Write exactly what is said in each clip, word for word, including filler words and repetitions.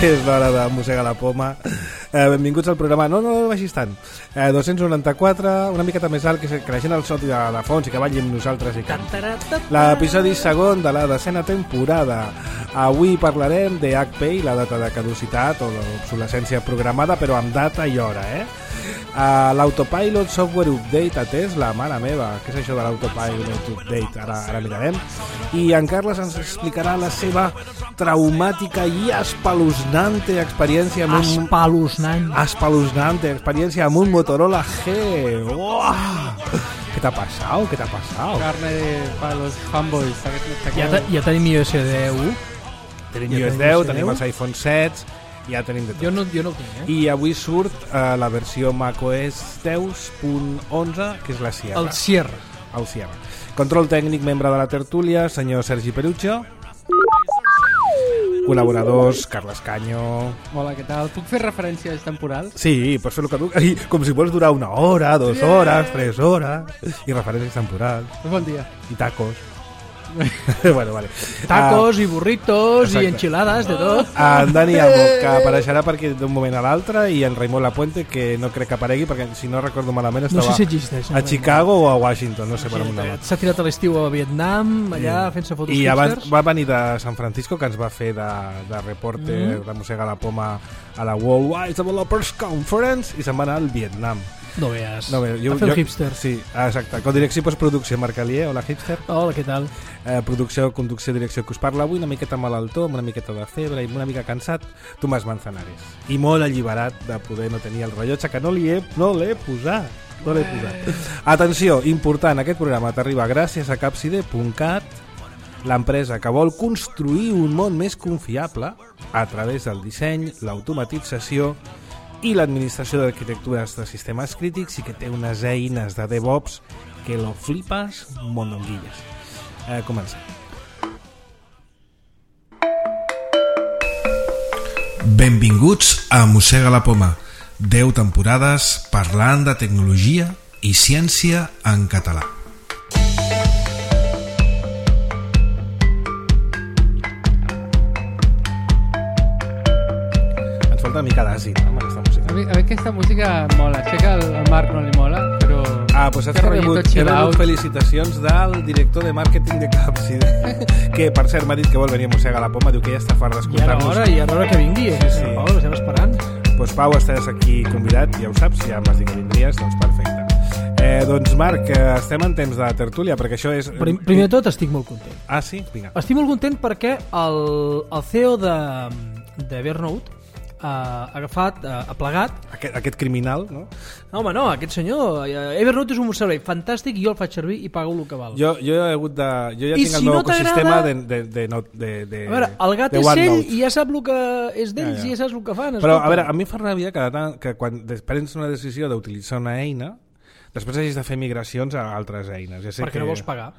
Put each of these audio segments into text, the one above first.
és l'hora de mossegar la poma. Eh, benvinguts al programa. No, no, no vagis tant. Eh, dos-cents noranta-quatre, una miqueta més alt, que, que la gent al sot i de, de fons i que balli amb nosaltres. I que... L'episodi segon de la desena temporada. Avui parlarem de H P i la data de caducitat o l'obsolescència programada, però amb data i hora, eh? Uh, L'autopilot software update a Tesla, mare meva, què és això de l'autopilot update? Ara, ara mirarem. I en Carles ens explicarà la seva traumàtica i espeluznante experiència amb un... Espeluznant. Espeluznante experiència amb un Motorola G. Uah! ¿Qué te ha pasado? ¿Qué te ha pasado? Carne de, para los fanboys. Ja, te, ja tenim i O S deu. Tenim i O S deu, tenim els iPhone set, ja tenim de tot. Jo no, jo no ho tinc, eh? I avui surt uh, la versió macOS deu punt onze, que és la Sierra. El Sierra. El Sierra. Control tècnic, membre de la tertúlia, senyor Sergi Perucho. Col·laboradors, Carles Canyo. Hola, què tal? Puc fer referències temporals? Sí, pots fer el que tu... Com si vols durar una hora, dues yeah. hores, tres hores. I referències temporals. Bon dia. I tacos. bueno, vale. Tacos uh, i burritos exacte. I enchiladas, de tot. En Dani Amo, que apareixerà perquè d'un moment a l'altre, i en Raimon Lapuente, que no crec que aparegui, perquè si no recordo malament estava no sé si existeix, a Chicago o a Washington, no sé per on. S'ha tirat a l'estiu a Vietnam, allà sí. fent-se fotos i hipsters. Abans va venir de San Francisco, que ens va fer de, de reporter mm. de mossegar la poma a la Worldwide Developers Conference, i se'n va anar al Vietnam. No veas, no, jo, a fer jo, el hipster. Sí, exacte. Con direcció i postproducció, Marc Alier. Hola, hipster. Hola, què tal? Eh, producció, conducció, direcció, que us parla avui, una miqueta malaltó, amb una miqueta de febre i una mica cansat, Tomàs Manzanares. I molt alliberat de poder no tenir el rellotge, que no li he, no l'he posat. No l'he posat. Atenció, important, aquest programa t'arriba gràcies a capside punt cat, l'empresa que vol construir un món més confiable a través del disseny, l'automatització i l'administració d'arquitectures de sistemes crítics, i que té unes eines de DevOps que lo flipes mononguilles. Eh, comencem. Benvinguts a Mossega la Poma. deu temporades parlant de tecnologia i ciència en català. Ens falta una mica d'àcid, no, amb aquesta música. A mi, a mi aquesta música mola. Sé que al, al Marc no li mola, però... Ah, doncs has rebut, he rebut felicitacions del director de màrqueting de Capside, que per cert m'ha dit que vol venir a mossegar la poma, diu que ja està fart d'escoltar-nos. I ara hora, i ara hora que vingui, eh? Sí, sí. Pau, l'estem esperant. Doncs pues, Pau, estàs aquí convidat, ja ho saps, ja m'has dit que vindries, doncs perfecte. Eh, doncs Marc, estem en temps de tertúlia, perquè això és... Prim, primer de tot estic molt content. Ah, sí? Vinga. Estic molt content perquè el, el C E O de, de Evernote ha agafat, ha plegat... Aquest, aquest criminal, no? No, home, no, aquest senyor... Evernote és un servei fantàstic i jo el faig servir i pago el que val. Jo, jo he hagut de... Jo ja I tinc si el meu no ecosistema de, de, de, de, de... A veure, el gat és ell i ja sap el que és d'ells, ja, ja. i ja saps el que fan. Però, a veure, a mi fa ràbia que, que quan prens una decisió d'utilitzar una eina, després hagis de fer migracions a altres eines. Ja sé perquè que... no vols pagar.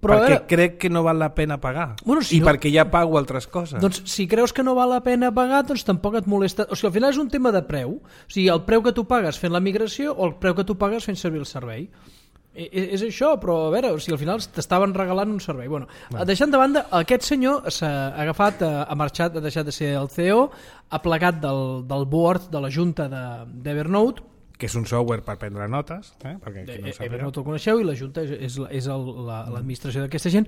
Però perquè veure, crec que no val la pena pagar, bueno, si i no, perquè ja pago altres coses. Doncs si creus que no val la pena pagar, doncs tampoc et molesta. O sigui, al final és un tema de preu. O sigui, el preu que tu pagues fent la migració o el preu que tu pagues fent servir el servei. I, és això, però a veure, o sigui, al final t'estaven regalant un servei. Bueno, bueno. Deixant de banda, aquest senyor s'ha agafat, ha marxat, ha deixat de ser el C E O, ha plegat del, del board de la junta d'Evernote, que és un software per prendre notes, eh? Perquè no Evernote el coneixeu, i la Junta és, és el, la, l'administració d'aquesta gent,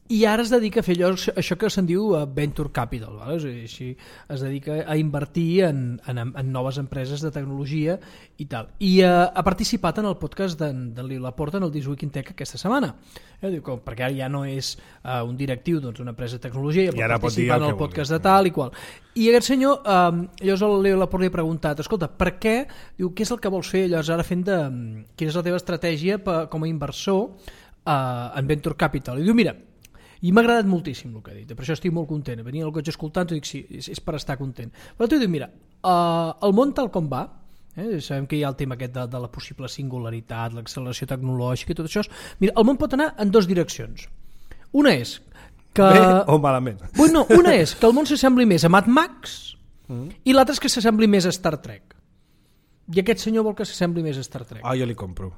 i ara es dedica a fer allò, això que se'n diu Venture Capital, val? O sigui, així es dedica a invertir en, en, en noves empreses de tecnologia i tal. I uh, ha participat en el podcast d'en de Laporta en el This Week in Tech aquesta setmana, eh? Diu, com, perquè ara ja no és uh, un directiu d'una doncs, empresa de tecnologia, ja pot participar en el podcast de tal i qual. I aquest senyor, um, llavors el Leo Laporta li ha preguntat, escolta, per què, diu, què és el que vols fer llavors ara fent de... Quina és la teva estratègia per, com a inversor uh, en Venture Capital? I diu, mira, i m'ha agradat moltíssim el que ha dit, per això estic molt content. Venia al cotxe escoltant i dic, sí, és, és per estar content. Però tu dius, mira, uh, el món tal com va, eh, sabem que hi ha el tema aquest de, de la possible singularitat, l'acceleració tecnològica i tot això, mira, el món pot anar en dues direccions. Una és que... Bé o malament? Bueno, una és que el món s'assembli més a Mad Max mm. i l'altra és que s'assembli més a Star Trek. I aquest senyor vol que s'assembli més a Star Trek. Ah, jo li compro.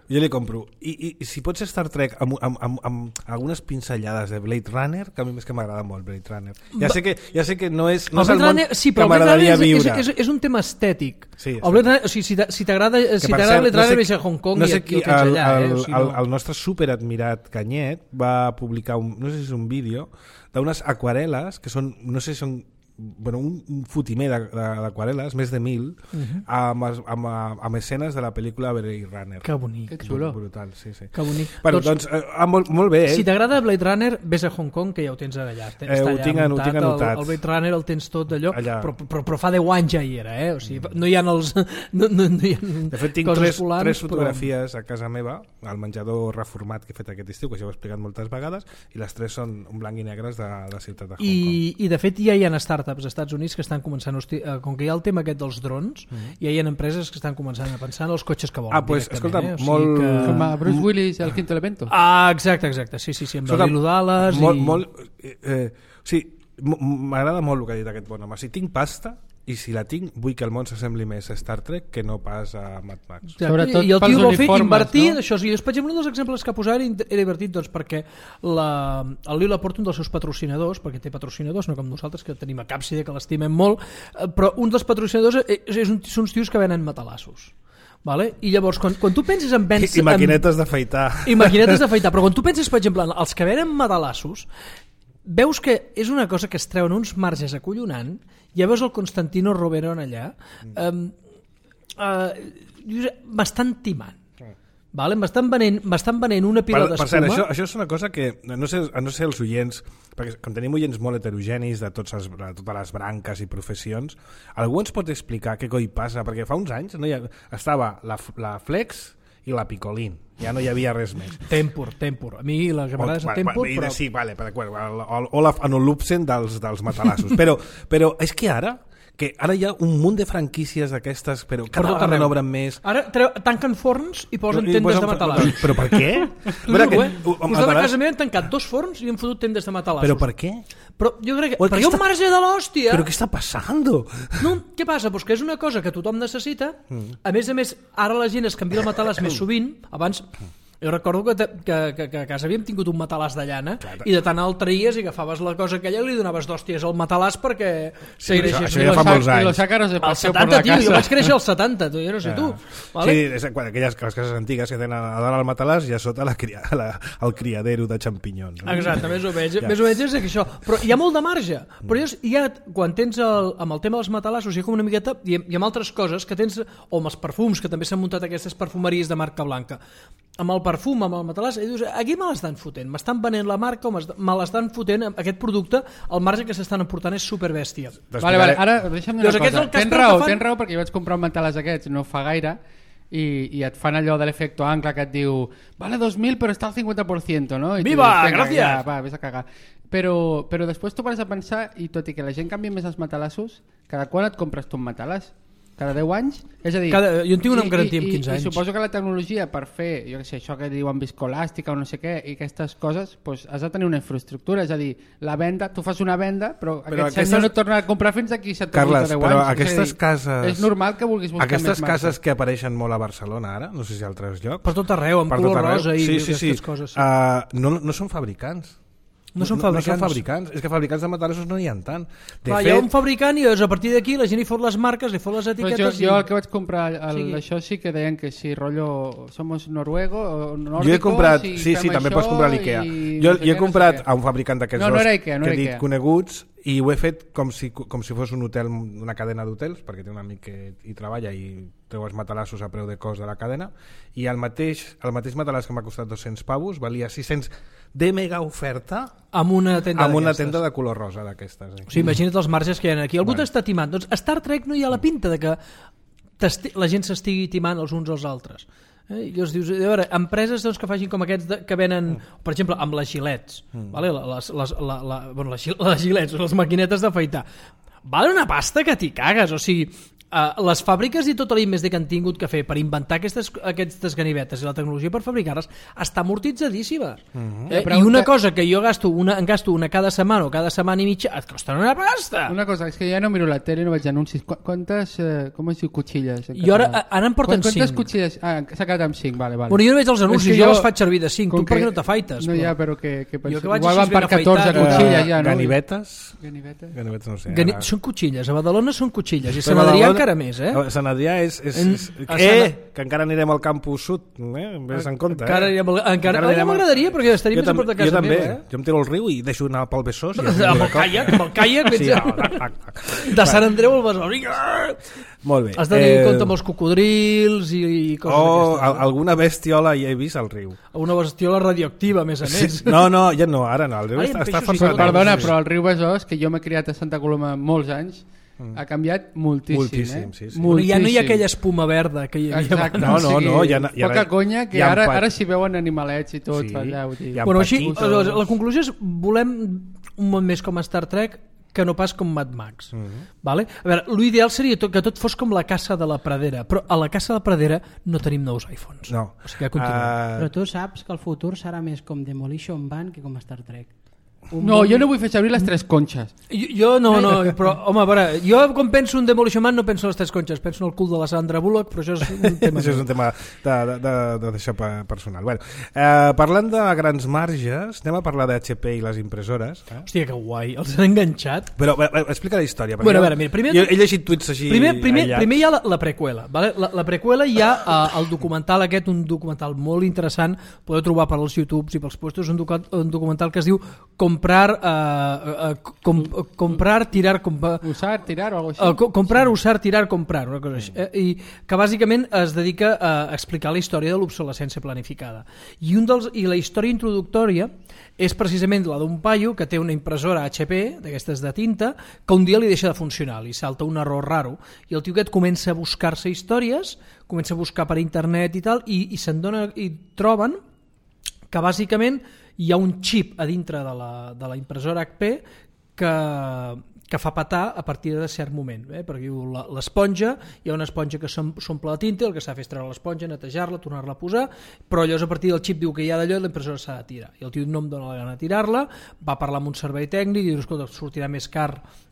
Jo li compro. I, i, i si pot ser Star Trek amb, amb, amb, amb algunes pinzellades de Blade Runner, que a mi més que m'agrada molt Blade Runner. Ja sé que, ja sé que no és, no és el món Runner, sí, que m'agradaria viure. És, és, és un tema estètic. Sí, el Blade Runner, o sigui, si t'agrada si t'agrada Blade Runner, no sé, vés a Hong Kong no sé i aquí ho tens allà. El, eh? o sigui, el, no. el nostre superadmirat Canyet va publicar, un, no sé si és un vídeo, d'unes aquarel·les que són, no sé si són bueno, un, un fotimer d'aquarel·les, més de mil, uh-huh. amb, amb, amb escenes de la pel·lícula Blade Runner. Que bonic. Que xulo. Brutal, sí, sí. Que bonic. Bueno, doncs, doncs eh, molt, molt bé. Eh? Si t'agrada Blade Runner, vés a Hong Kong, que ja ho tens allà. Està eh, ho allà tinc, muntat, ho tinc anotat. El, el Blade Runner el tens tot allò, però, però, però fa deu anys ja hi era, eh? O sigui, no hi ha els... No, no, no hi ha de fet, tinc tres, polars, tres fotografies però... a casa meva, al menjador reformat que he fet aquest estiu, que ja ho he explicat moltes vegades, i les tres són un blanc i negres de la ciutat de Hong I, Kong. I, de fet, ja hi ha startups als Estats Units que estan començant, hosti, com que hi ha el tema aquest dels drons, mm-hmm. ja hi ha empreses que estan començant a pensar en els cotxes que volen. Ah, pues, escolta, eh? o sigui molt... Que... Com a Bruce Willis al Quinto Elemento. Ah, exacte, exacte, sí, sí, sí, amb el Lilo Dallas molt, i... Molt, eh, sí, m'agrada molt el que ha dit aquest bon home. Si tinc pasta, i si la tinc, vull que el món s'assembli més a Star Trek que no pas a Mad Max. Sobretot I el tio vol fer invertir no? Això, sí, per exemple, un dels exemples que ha posat era divertit, doncs, perquè la, el Lilo aporta un dels seus patrocinadors, perquè té patrocinadors, no com nosaltres, que tenim a Càpside, que l'estimem molt, però un dels patrocinadors és, és un, són uns tios que venen matalassos. Vale? I llavors, quan, quan tu penses en... Vens, I, i maquinetes d'afaitar. I maquinetes d'afaitar, però quan tu penses, per exemple, en els que venen matalassos, veus que és una cosa que es treuen uns marges acollonant. Ja veus el Constantino Roverón allà, um, uh, m'estan timant. Vale? M'estan venent, m'estan venent una pila d'espuma. Per cert, això, això és una cosa que no sé, no sé els oients, perquè com tenim oients molt heterogenis de, tots els, de totes les branques i professions, algú ens pot explicar què coi passa? Perquè fa uns anys no hi ha, estava la, la Flex i la Picolín, ja no hi havia res més. Tempur, Tempur. A mi la que m'agrada és el Tempur, va, però... Sí, vale, per Olaf Anolupsen dels, dels matalassos. però, però és que ara que ara hi ha un munt de franquícies d'aquestes, però cada vegada n'obren més. Ara treu, tanquen forns i posen I tendes posen, de matalassos. Però per què? Però que, us a casa meva han tancat dos forns i han fotut tendes de matalassos. Però per què? Però jo crec que... Perquè hi ha un marge de l'hòstia. Però què està passant? No, què passa? Pues que és una cosa que tothom necessita. Mm. A més a més, ara la gent es canvia el matalàs més sovint. Abans... Jo recordo que, que, que, que a casa havíem tingut un matalàs de llana Clar, i de tant el treies i agafaves la cosa aquella i li donaves d'hòsties al matalàs perquè sí, això, això ja fa molts anys. I los àcaros de paseo por la casa. Tio, jo vaig créixer als setanta, tu, jo no sé tu. Vale? Sí, és, aquelles les cases antigues que tenen a dalt el matalàs i a sota la, la, el criadero de xampinyons. No? Exacte, més o menys. Ja. Més o menys és això. Però hi ha molt de marge. Però hi ha, quan tens el, amb el tema dels matalassos hi ha com una miqueta, i amb altres coses que tens, o amb els perfums, que també s'han muntat aquestes perfumeries de marca blanca. Amb el perfum, amb el matalàs, i dius, aquí me l'estan fotent, m'estan venent la marca o me l'estan fotent aquest producte, el marge que s'estan aportant és superbèstia. Vale, vale, ara deixa'm dir una cosa, tens raó, fan... tens raó perquè jo vaig comprar un matalàs aquests no fa gaire i, i et fan allò de l'efecto ancla que et diu vale dos mil però està al cinquanta per cent, no? I Viva, dius, gràcies! Ja, va, vés a cagar. Però, però després tu vas a pensar, i tot i que la gent canvia més els matalassos, cada quan et compres tu un matalàs? Cada deu anys? És a dir... Cada, jo en tinc una amb garantia amb quinze i, anys. I suposo que la tecnologia per fer, jo què sé, això que diuen viscolàstica o no sé què, i aquestes coses, doncs has de tenir una infraestructura, és a dir, la venda, tu fas una venda, però, però aquest aquestes... senyor no et torna a comprar fins aquí set o deu anys. Però aquestes és dir, cases... És normal que vulguis buscar aquestes més cases marca. Que apareixen molt a Barcelona ara, no sé si a altres llocs... Per tot arreu, amb color rosa i sí, sí, aquestes sí. coses. Sí. Uh, no, no són fabricants. No són fabricants. No, no són fabricants. És que fabricants de matalassos no n'hi ha tant. De Clar, fet... Hi ha un fabricant i a partir d'aquí la gent hi fot les marques, li fot les etiquetes... Jo, i... jo el que vaig comprar, el, sí. Això sí que deien que si rotllo somos noruego o nórdico... Jo he comprat, si sí, sí, també pots comprar a l'Ikea. Jo, jo he comprat no sé a un fabricant d'aquests no, no dos Ikea, no que he dit Ikea. Coneguts i ho he fet com si, com si fos un hotel, una cadena d'hotels, perquè té un amic que hi treballa i treu els matalassos a preu de cost de la cadena, i el mateix, el mateix matalàs que m'ha costat dos-cents pavos valia sis-cents de mega oferta amb una tenda, amb una tenda de color rosa d'aquestes. Eh? O sigui, imagina't els marges que hi ha aquí. Algú bueno. t'està timant. Doncs a Star Trek no hi ha la pinta de que la gent s'estigui timant els uns als altres. Eh? I llavors dius, a veure, empreses doncs, que facin com aquests de, que venen, mm. per exemple, amb les gilets, mm. vale? les, les, la, la, bueno, les, les gilets, les maquinetes d'afaitar, valen una pasta que t'hi cagues, o sigui, Uh, les fàbriques i tot l'I més D que han tingut que fer per inventar aquestes, aquestes ganivetes i la tecnologia per fabricar-les està amortitzadíssima. Uh-huh. eh, I una cosa que jo gasto una, en gasto una cada setmana o cada setmana i mitja et costa una pasta. Una cosa, és que ja no miro la tele, no veig anuncis. Qu Quantes, eh, com es diu, cotxilles? Jo ara, ara em porten cinc. Quantes cotxilles? Ah, s'ha quedat amb cinc, vale, vale. Bueno, jo no veig els anuncis, jo, jo les faig servir de cinc. Tu per què no t'afaites? No, ja, però que, que penso, jo que vaig igual van per catorze cotxilles ja, no? Ganivetes? Ganivetes? Ganivetes no sé. Gani són cotxilles, a Badalona són cotxilles i Sant Adrià encara més, eh? Sant Adrià és... és, és eh, que encara anirem al campus sud, eh? Ves en compte, eh? Encara anirem al... Encara, encara m'agradaria, perquè estaria més a prop de casa jo també, meva, eh? Jo em tiro al riu i deixo anar pel Besòs. Amb el caiac, amb el caiac. Sí, de Sant Andreu al Besòs. Molt bé. Has de tenir en compte amb els cocodrils i, i coses oh, d'aquestes. Alguna bestiola hi he vist al riu. Una bestiola radioactiva, a més a més. Sí. No, no, ja no, ara no. El riu Ai, està, està forçat. Perdona, però el riu Besòs, que jo m'he criat a Santa Coloma molts anys, Mm. ha canviat moltíssim, moltíssim eh? Sí, sí. Moltíssim. Ja no hi ha aquella espuma verda que hi havia Exacte, abans. No, no, no. Ja, ja poca conya, que ara, ara s'hi veuen animalets i tot. Sí, allà, bueno, així, la conclusió és volem un món més com Star Trek que no pas com Mad Max. Mm-hmm. Vale? A veure, l'ideal seria tot, que tot fos com la caça de la pradera, però a la caça de la pradera no tenim nous iPhones. No. O sigui, uh... Però tu saps que el futur serà més com Demolition Man que com Star Trek. Un no, bon... jo no vull fer servir les tres conxes. Jo, jo no, no, però, home, a veure, jo quan penso en Demolition Man no penso en les tres conxes, penso en el cul de la Sandra Bullock, però això és un tema, això és un tema de, de, de, de d'això personal. Bueno, eh, parlant de grans marges, anem a parlar d'H P i les impressores. Eh? Hòstia, que guai, els han enganxat. Però eh, explica la història. Bueno, a veure, mira, primer... Jo he llegit tuits així... Primer, primer, primer hi ha la, la preqüela. Vale? La, la preqüela hi ha uh, el documental aquest, un documental molt interessant, podeu trobar per als YouTubes i pels puestos, un, docu un documental que es diu Comprar... Uh, Uh, uh, com, uh, comprar, tirar, compa... usar, tirar o algo així. Uh, co comprar, usar, tirar, comprar, una cosa així. Eh? I que bàsicament es dedica a explicar la història de l'obsolescència planificada. I, un dels, I la història introductòria és precisament la d'un paio que té una impressora H P, d'aquestes de tinta, que un dia li deixa de funcionar, li salta un error raro, i el tio aquest comença a buscar-se històries, comença a buscar per internet i tal, i, i se'n dona, i troben que bàsicament hi ha un xip a dintre de la, de la impressora H P que, que fa petar a partir de cert moment, eh? Perquè l'esponja, hi ha una esponja que s'omple de tinta, el que s'ha de fer és treure l'esponja, netejar-la, tornar-la a posar, però llavors a partir del xip diu que hi ha d'allò i la impressora s'ha de tirar, i el tio no em dona la gana de tirar-la, va parlar amb un servei tècnic i diu, escolta, sortirà més car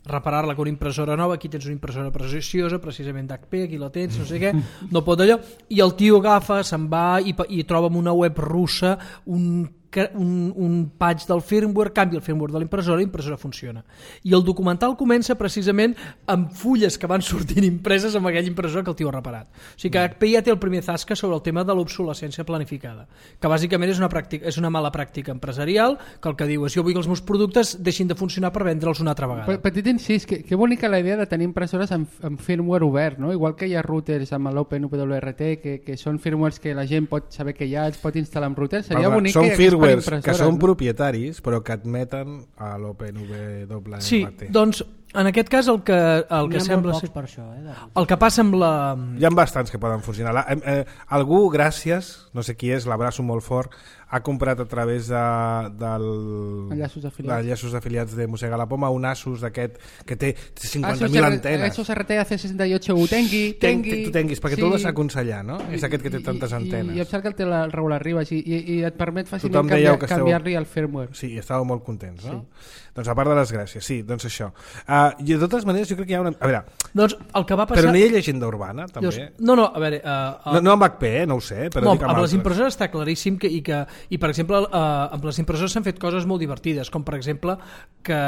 reparar-la que una impressora nova, aquí tens una impressora preciosa, precisament d'H P, aquí la tens, no sé què, no pot allò, i el tio agafa, se'n va i, i troba en una web russa un Un, un patch del firmware, canvia el firmware de l'impressora i l'impressora funciona. I el documental comença precisament amb fulles que van sortint impreses amb aquella impressora que el tio ha reparat. O sigui que H P ja té el primer zasca sobre el tema de l'obsolescència planificada, que bàsicament és una, pràctica, és una mala pràctica empresarial, que el que diu és jo vull que els meus productes deixin de funcionar per vendre'ls una altra vegada. Petit incís, que, que bonica la idea de tenir impressores amb, amb firmware obert, no? Igual que hi ha routers amb l'OpenWRT, que, que són firmwares que la gent pot saber que hi ha, els pot instal·lar en routers, seria bonic que hi hagués que són no? propietaris però que admeten a l'OpenWRT. Sí, doncs en aquest cas el que, el que sembla ser... per això, eh, el que passa amb la... Hi ha bastants que poden funcionar. La, eh, eh, algú, gràcies, no sé qui és, l'abraço molt fort, ha comprat a través de, del... enllaços afiliats. enllaços afiliats de Mossega la Poma un Asus d'aquest que té cinquanta mil antenes. Asus R T A C seixanta i ocho U, tengui, tengui. Tu tenguis, perquè sí. Tu l'has aconsellat, no? És aquest que té tantes antenes. I, i em sap que el té el Raül Arribas i, i, i et permet fàcilment canviar-li canviar el firmware. Sí, i estàveu molt contents, no? Sí. Doncs a part de les gràcies, sí, doncs això. Uh, I de totes maneres jo crec que hi ha una... A veure, doncs el que va passar... Però no hi ha llegenda urbana, també? Llavors, no, no, a veure... Uh, uh... No, no amb H P, eh? No ho sé, però no, dic amb, amb les impressores està claríssim que, i, que, i per exemple, uh, amb les impressores s'han fet coses molt divertides, com per exemple que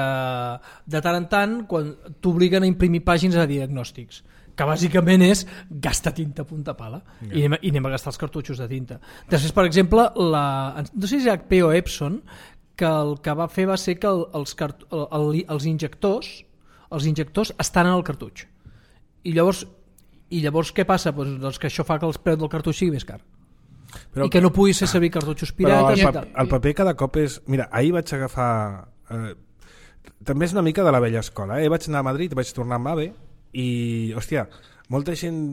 de tant en tant, quan t'obliguen a imprimir pàgines de diagnòstics, que bàsicament és gasta tinta a punta pala, yeah. i, anem, i anem a gastar els cartutxos de tinta. Després, per exemple, la, no sé si és H P o Epson, que el que va fer va ser que el, els, cart, el, el, els injectors els injectors estan en el cartutx. I llavors, i llavors què passa? Pues, doncs que això fa que el preu del cartutx sigui més car. Però, I que no pugui ser servir cartutxos pirates. Però el, pa, el paper cada cop és... Mira, ahir vaig agafar... Eh, també és una mica de la vella escola. Eh? Vaig anar a Madrid, vaig tornar amb AVE i, hòstia, molta gent...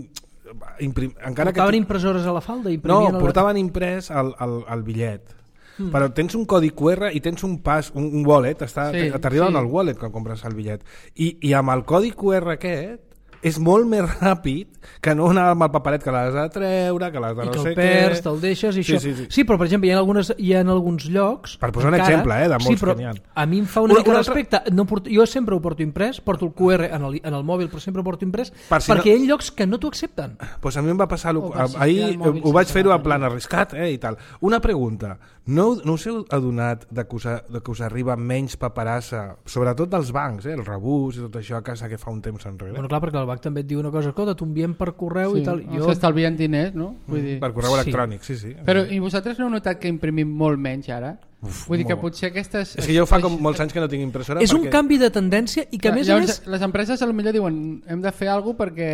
Imprim, encara portaven que tu... impressores a la falda? No, portaven imprès el, el, el bitllet. Mm. Però tens un codi Q R i tens un pas, un, un wallet, està, sí, t'arriba sí. en el wallet quan compres el bitllet. I, i amb el codi Q R aquest és molt més ràpid que no anar amb el paperet que l'has de treure, que l'has de I no que sé el perds, què... te'l deixes i sí, això. Sí, sí. sí, però per exemple, hi ha, algunes, hi ha alguns llocs... Per posar encara, un exemple, eh, de molts sí, però que n'hi ha. A mi em fa una, una mica una respecte. No porto, jo sempre ho porto imprès, porto el Q R en el, en el mòbil, però sempre ho porto imprès, per si perquè no... hi ha llocs que no t'ho accepten. Pues a mi em va passar... Lo... O si Ahir mòbil ho vaig fer-ho en bateria. plan arriscat, eh, i tal. Una pregunta. No, no us heu adonat de que us, de que us arriba menys paperassa, sobretot dels bancs, eh, el rebús i tot això a casa que fa un temps enrere? Bueno, clar, perquè el banc també et diu una cosa, escolta, t'ho enviem per correu Sí, i tal. jo... s'estalvien diners, no? Vull dir... Per correu Sí. electrònic, sí, sí. Però i vosaltres no heu notat que imprimim molt menys ara? Uf, Vull dir que molt. potser aquestes... És que jo fa com molts anys que no tinc impressora. És perquè... un canvi de tendència i que a més a Llavors, més... les empreses a lo millor diuen hem de fer alguna cosa perquè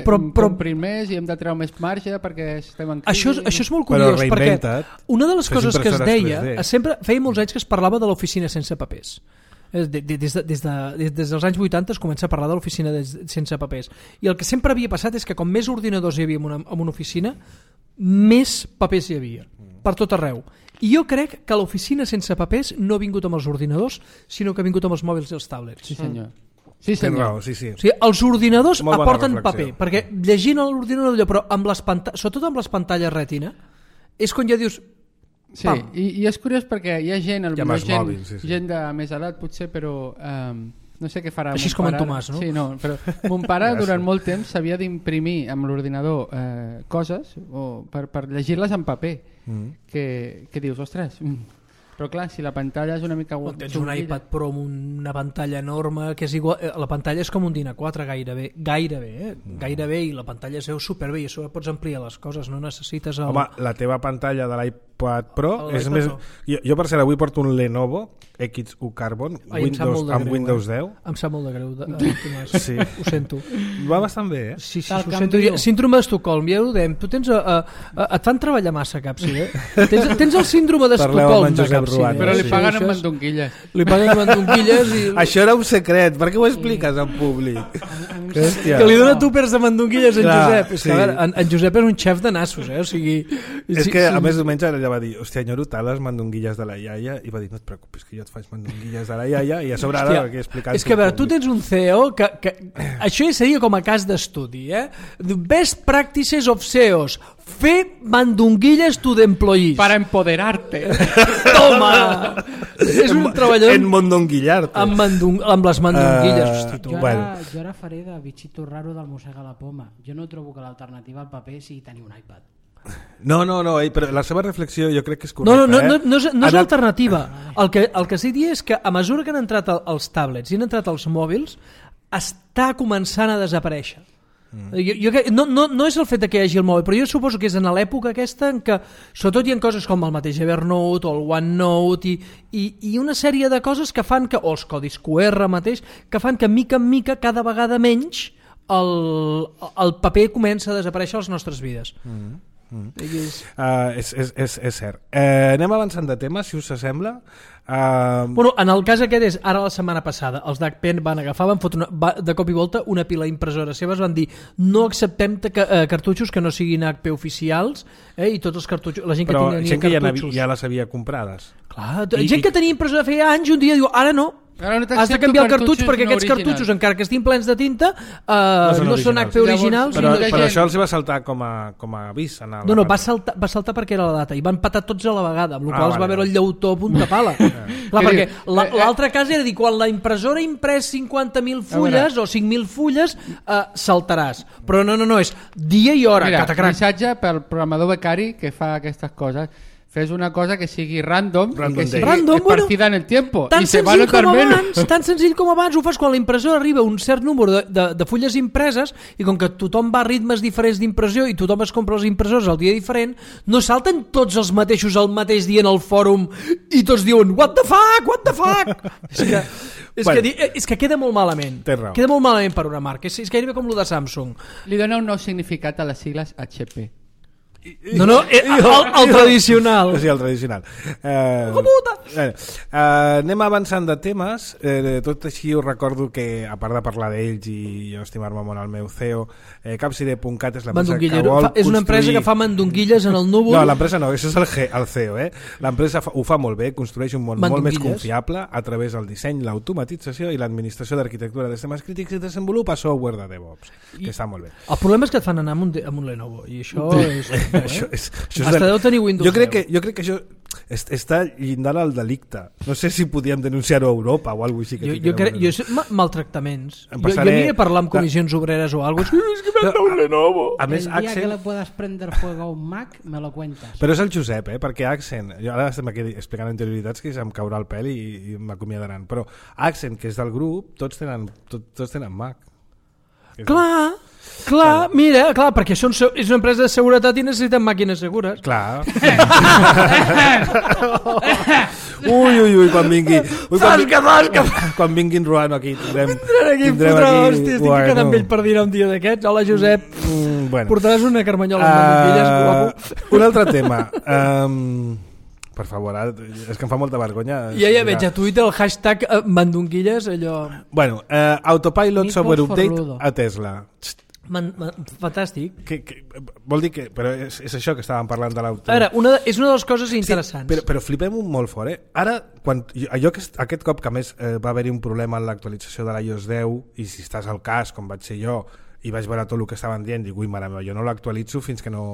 Però- però- comprim més i hem de treure més marge perquè estem en crisi. Això és, això és molt Però curiós, perquè reinventa't. una de les Fes coses que es impressores deia, tres D. sempre feia molts anys que es parlava de l'oficina sense papers. Eh, de- de- Des, de, des, de, des, des dels anys vuitanta es comença a parlar de l'oficina des- sense papers. I el que sempre havia passat és que com més ordinadors hi havia en una, en una oficina, més papers hi havia, per tot arreu. I jo crec que l'oficina sense papers no ha vingut amb els ordinadors, sinó que ha vingut amb els mòbils i els tablets. Sí, senyor. Sí, Tens senyor. raó, sí, sí. O sigui, els ordinadors Molt bona aporten reflexió. paper, perquè llegint a l'ordinador allò, però amb les panta... sobretot amb les pantalles retina, és quan ja dius... Sí, Pam. i, i és curiós perquè hi ha gent, I amb potser els gent, mòbils, sí, sí. gent de més edat potser, però um, no sé què farà. Així mon és com en pare. Tomàs, no? Sí, no, però mon pare Gràcies. durant molt temps s'havia d'imprimir amb l'ordinador eh, coses o per, per llegir-les en paper, Mm. que, que dius, ostres, mm. però clar, si la pantalla és una mica... O tens un xunguilla- iPad Pro amb una pantalla enorme que és igual, eh, la pantalla és com un dinar quatre gairebé, gairebé, eh? gairebé, i la pantalla es veu superbé i a sobre pots ampliar les coses, no necessites el... Home, la teva pantalla de l'iPad Pro El és iPad més... Pro. Jo, jo per cert avui porto un Lenovo X U Carbon Ai, em sap Windows, molt de amb greu, Windows eh? deu. Em sap molt de greu, de, de, Tomàs. Sí. Ho sento. Va bastant bé, eh? Sí, sí, Te'l ho sento. canvio. Síndrome d'Estocolm, ja ho dèiem. Tu tens... A, a, a, et fan treballar massa, Capsi, eh? Tens, tens el síndrome Parleu amb d'Estocolm en de Josep Capsi. Ruan. Però li Sí, paguen això amb és- mandonquilles. Li paguen amb mandonquilles i... Això era un secret, per què ho expliques en públic? Hòstia. Que li dona tupers de mandonquilles en Clar, Josep. És sí. que, a veure, en, en Josep és un xef de nassos, eh? O sigui... És sí, que sí. a més diumenge ella va dir hòstia, enyoro tant les mandonguilles de la iaia, i va dir no et preocupis que jo et faig mandonguilles de la iaia, i a sobre ara Hòstia, aquí explicant és que a veure, tu tens un C E O que, que això ja seria com a cas d'estudi, eh? Best practices of C E Os, fer mandonguilles to the employees. Para empoderarte. Toma! És un treballador en mondonguillar-te. amb, mandung, amb les mandonguilles. Eh, Hosti, tu. Jo ara, Bueno. jo ara faré de bitxito raro del mossega la poma. Jo no trobo que l'alternativa al paper sigui tenir un iPad. No, no, no, eh, però la seva reflexió jo crec que és No, correcta. no, no, eh? no, no és, no és Anat- l'alternativa. El que, el que estic dient és que a mesura que han entrat el- els tablets i han entrat els mòbils, està començant a desaparèixer. Mm. Jo, jo, crec- no, no, no és el fet de que hi hagi el mòbil, però jo suposo que és en l'època aquesta en què sobretot hi ha coses com el mateix Evernote o el OneNote i, i, i una sèrie de coses que fan que, o els codis Q R mateix, que fan que mica en mica cada vegada menys el, el paper comença a desaparèixer a les nostres vides. Mm. Mm. És... Uh, és, és, és, és cert. Uh, anem avançant de tema, si us sembla. Uh, Bueno, en el cas aquest és, ara la setmana passada, els d'Agpen van agafar, van fotre una, va, de cop i volta una pila d'impressores seves, van dir no acceptem te, eh, cartutxos que no siguin H P oficials, eh, i tots els cartutxos, la gent però que tenia gent que ja, cartutxos. ja les havia comprades. Clar, I- gent i- que tenia impressora feia anys, un dia diu, ara no, Ara no has de t'accepto canviar el cartutx cartutxos perquè no aquests originals. cartutxos, encara que estiguin plens de tinta, eh, són no són H P originals. originals. Llavors, Però, i molta però gent- això els va saltar com a, com a avís. En el, No, no, va saltar, va saltar perquè era la data i van patar tots a la vegada, amb la Ah, qual es va vale. veure el llautó a punta pala. Clar, Què perquè diu? la- Eh, eh. l'altre cas era dir, quan la impressora ha imprès cinquanta mil fulles o cinc mil fulles, eh, saltaràs. Però no, no, no, és dia i hora, Mira, catacrac. missatge pel programador becari que fa aquestes coses. Fes una cosa que sigui random, Random i que sigui day. Random, bueno, partida en el tiempo. Tan I se va a senzill, notar com menos. abans, tan senzill com abans ho fas quan la impressora arriba a un cert número de, de, de fulles impreses i com que tothom va a ritmes diferents d'impressió i tothom es compra les impressores al dia diferent, no salten tots els mateixos el mateix dia en el fòrum i tots diuen what the fuck, what the fuck és que, és, Bueno. que, di- és que queda molt malament, Tens raó. queda molt malament per una marca, és, és gairebé com el de Samsung. Li dona un nou significat a les sigles H P. No, no, el, el, el tradicional. Sí, el tradicional. Eh, eh, eh, anem avançant de temes. Eh, tot així us recordo que, a part de parlar d'ells i jo estimar-me molt el meu C E O, eh, capcide punt cat és l'empresa que vol fa, és una empresa construir... que fa mandonguilles en el núvol. No, l'empresa no, això és el, G, el C E O. Eh? L'empresa fa, ho fa molt bé, construeix un món molt més confiable a través del disseny, l'automatització i l'administració d'arquitectura de sistemes crítics i desenvolupa software de DevOps, que I, està molt bé. El problema és que et fan anar amb un, amb un Lenovo i això és... Eh? això és, això és Hasta de... deu tenir Windows jo crec, que, jo crec que això est, està llindant al delicte. No sé si podíem denunciar-ho a Europa o alguna cosa així. Que jo, jo crec, jo sé, ma, maltractaments. Passaré... Jo, jo aniré a parlar amb comissions de... obreres o alguna cosa. És que m'han de un Lenovo. A més, el dia Accent... que le puedas prender fuego a un Mac, me lo cuentas. Però és el Josep, eh? Perquè Accent, jo ara estem aquí explicant anterioritats que em caurà el pèl i, i m'acomiadaran, però Accent, que és del grup, tots tenen, tot, tots tenen Mac. Clar, clar, mira, clar, perquè són, és una empresa de seguretat i necessiten màquines segures. Clar. ui, ui, ui, quan vingui... Ui, quan, fasca, fasca. Quan vinguin Ruano aquí, tindrem... Vindran aquí, tindrem fotrà, aquí... Hòstia, estic bueno. quedant amb ell per dinar un dia d'aquests. Hola, Josep. Mm, bueno. Portaràs una carmanyola amb mandonguilles, uh, guapo. Un altre tema. Um, per favor, ara, és que em fa molta vergonya. Ja ja veig a Twitter el hashtag uh, mandonguilles, allò... Bueno, uh, Autopilot Software Update a Tesla. Man, man, fantàstic. Que, que, vol dir que... Però és, és això que estàvem parlant de l'auto. Ara, una de, és una de les coses interessants. Sí, però, però flipem un molt fort, eh? Ara, quan, allò que, aquest cop que a més eh, va haver-hi un problema en l'actualització de l'iOS deu, i si estàs al cas, com vaig ser jo, i vaig veure tot el que estaven dient, dic, ui, mare meva, jo no l'actualitzo fins que no...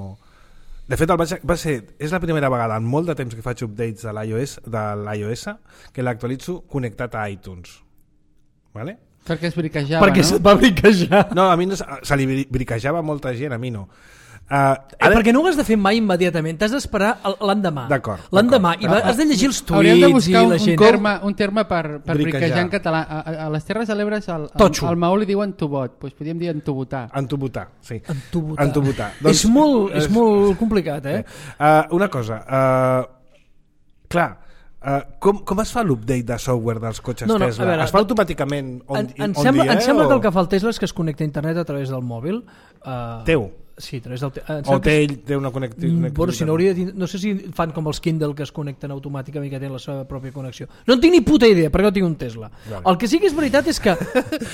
De fet, el vaig, va ser, és la primera vegada en molt de temps que faig updates de l'iOS, de l'iOS que l'actualitzo connectat a iTunes. Vale? Perquè es briquejava, perquè no? Perquè va briquejar. No, a mi no, se li briquejava molta gent, a mi no. Uh, ara... eh, perquè no ho has de fer mai immediatament, t'has d'esperar l'endemà. D'acord. L'endemà, i va, has de llegir els tuits Hauríem de buscar i un, la gent. Un terme, un terme per, per briquejar en català. A, a, a les Terres de l'Ebre al, al, al Maó li diuen tubot, doncs podríem dir entubotar. Entubotar, sí. Entubotar. Entubotar. Doncs, és, molt, és, és molt complicat, eh? Uh, una cosa, uh, clar, Uh, com, com es fa l'update de software dels cotxes no, no, Tesla? Veure, es fa automàticament on, en, en on sembla, dia? Em sembla o... que el que fa el Tesla és que es connecta a internet a través del mòbil. Uh, Teu? Sí, a través del... O té ell té una connectivitat? Bueno, si no, hauria de... no sé si fan com els Kindle que es connecten automàticament i que tenen la seva pròpia connexió. No en tinc ni puta idea, perquè no tinc un Tesla. Vale. El que sí que és veritat és que...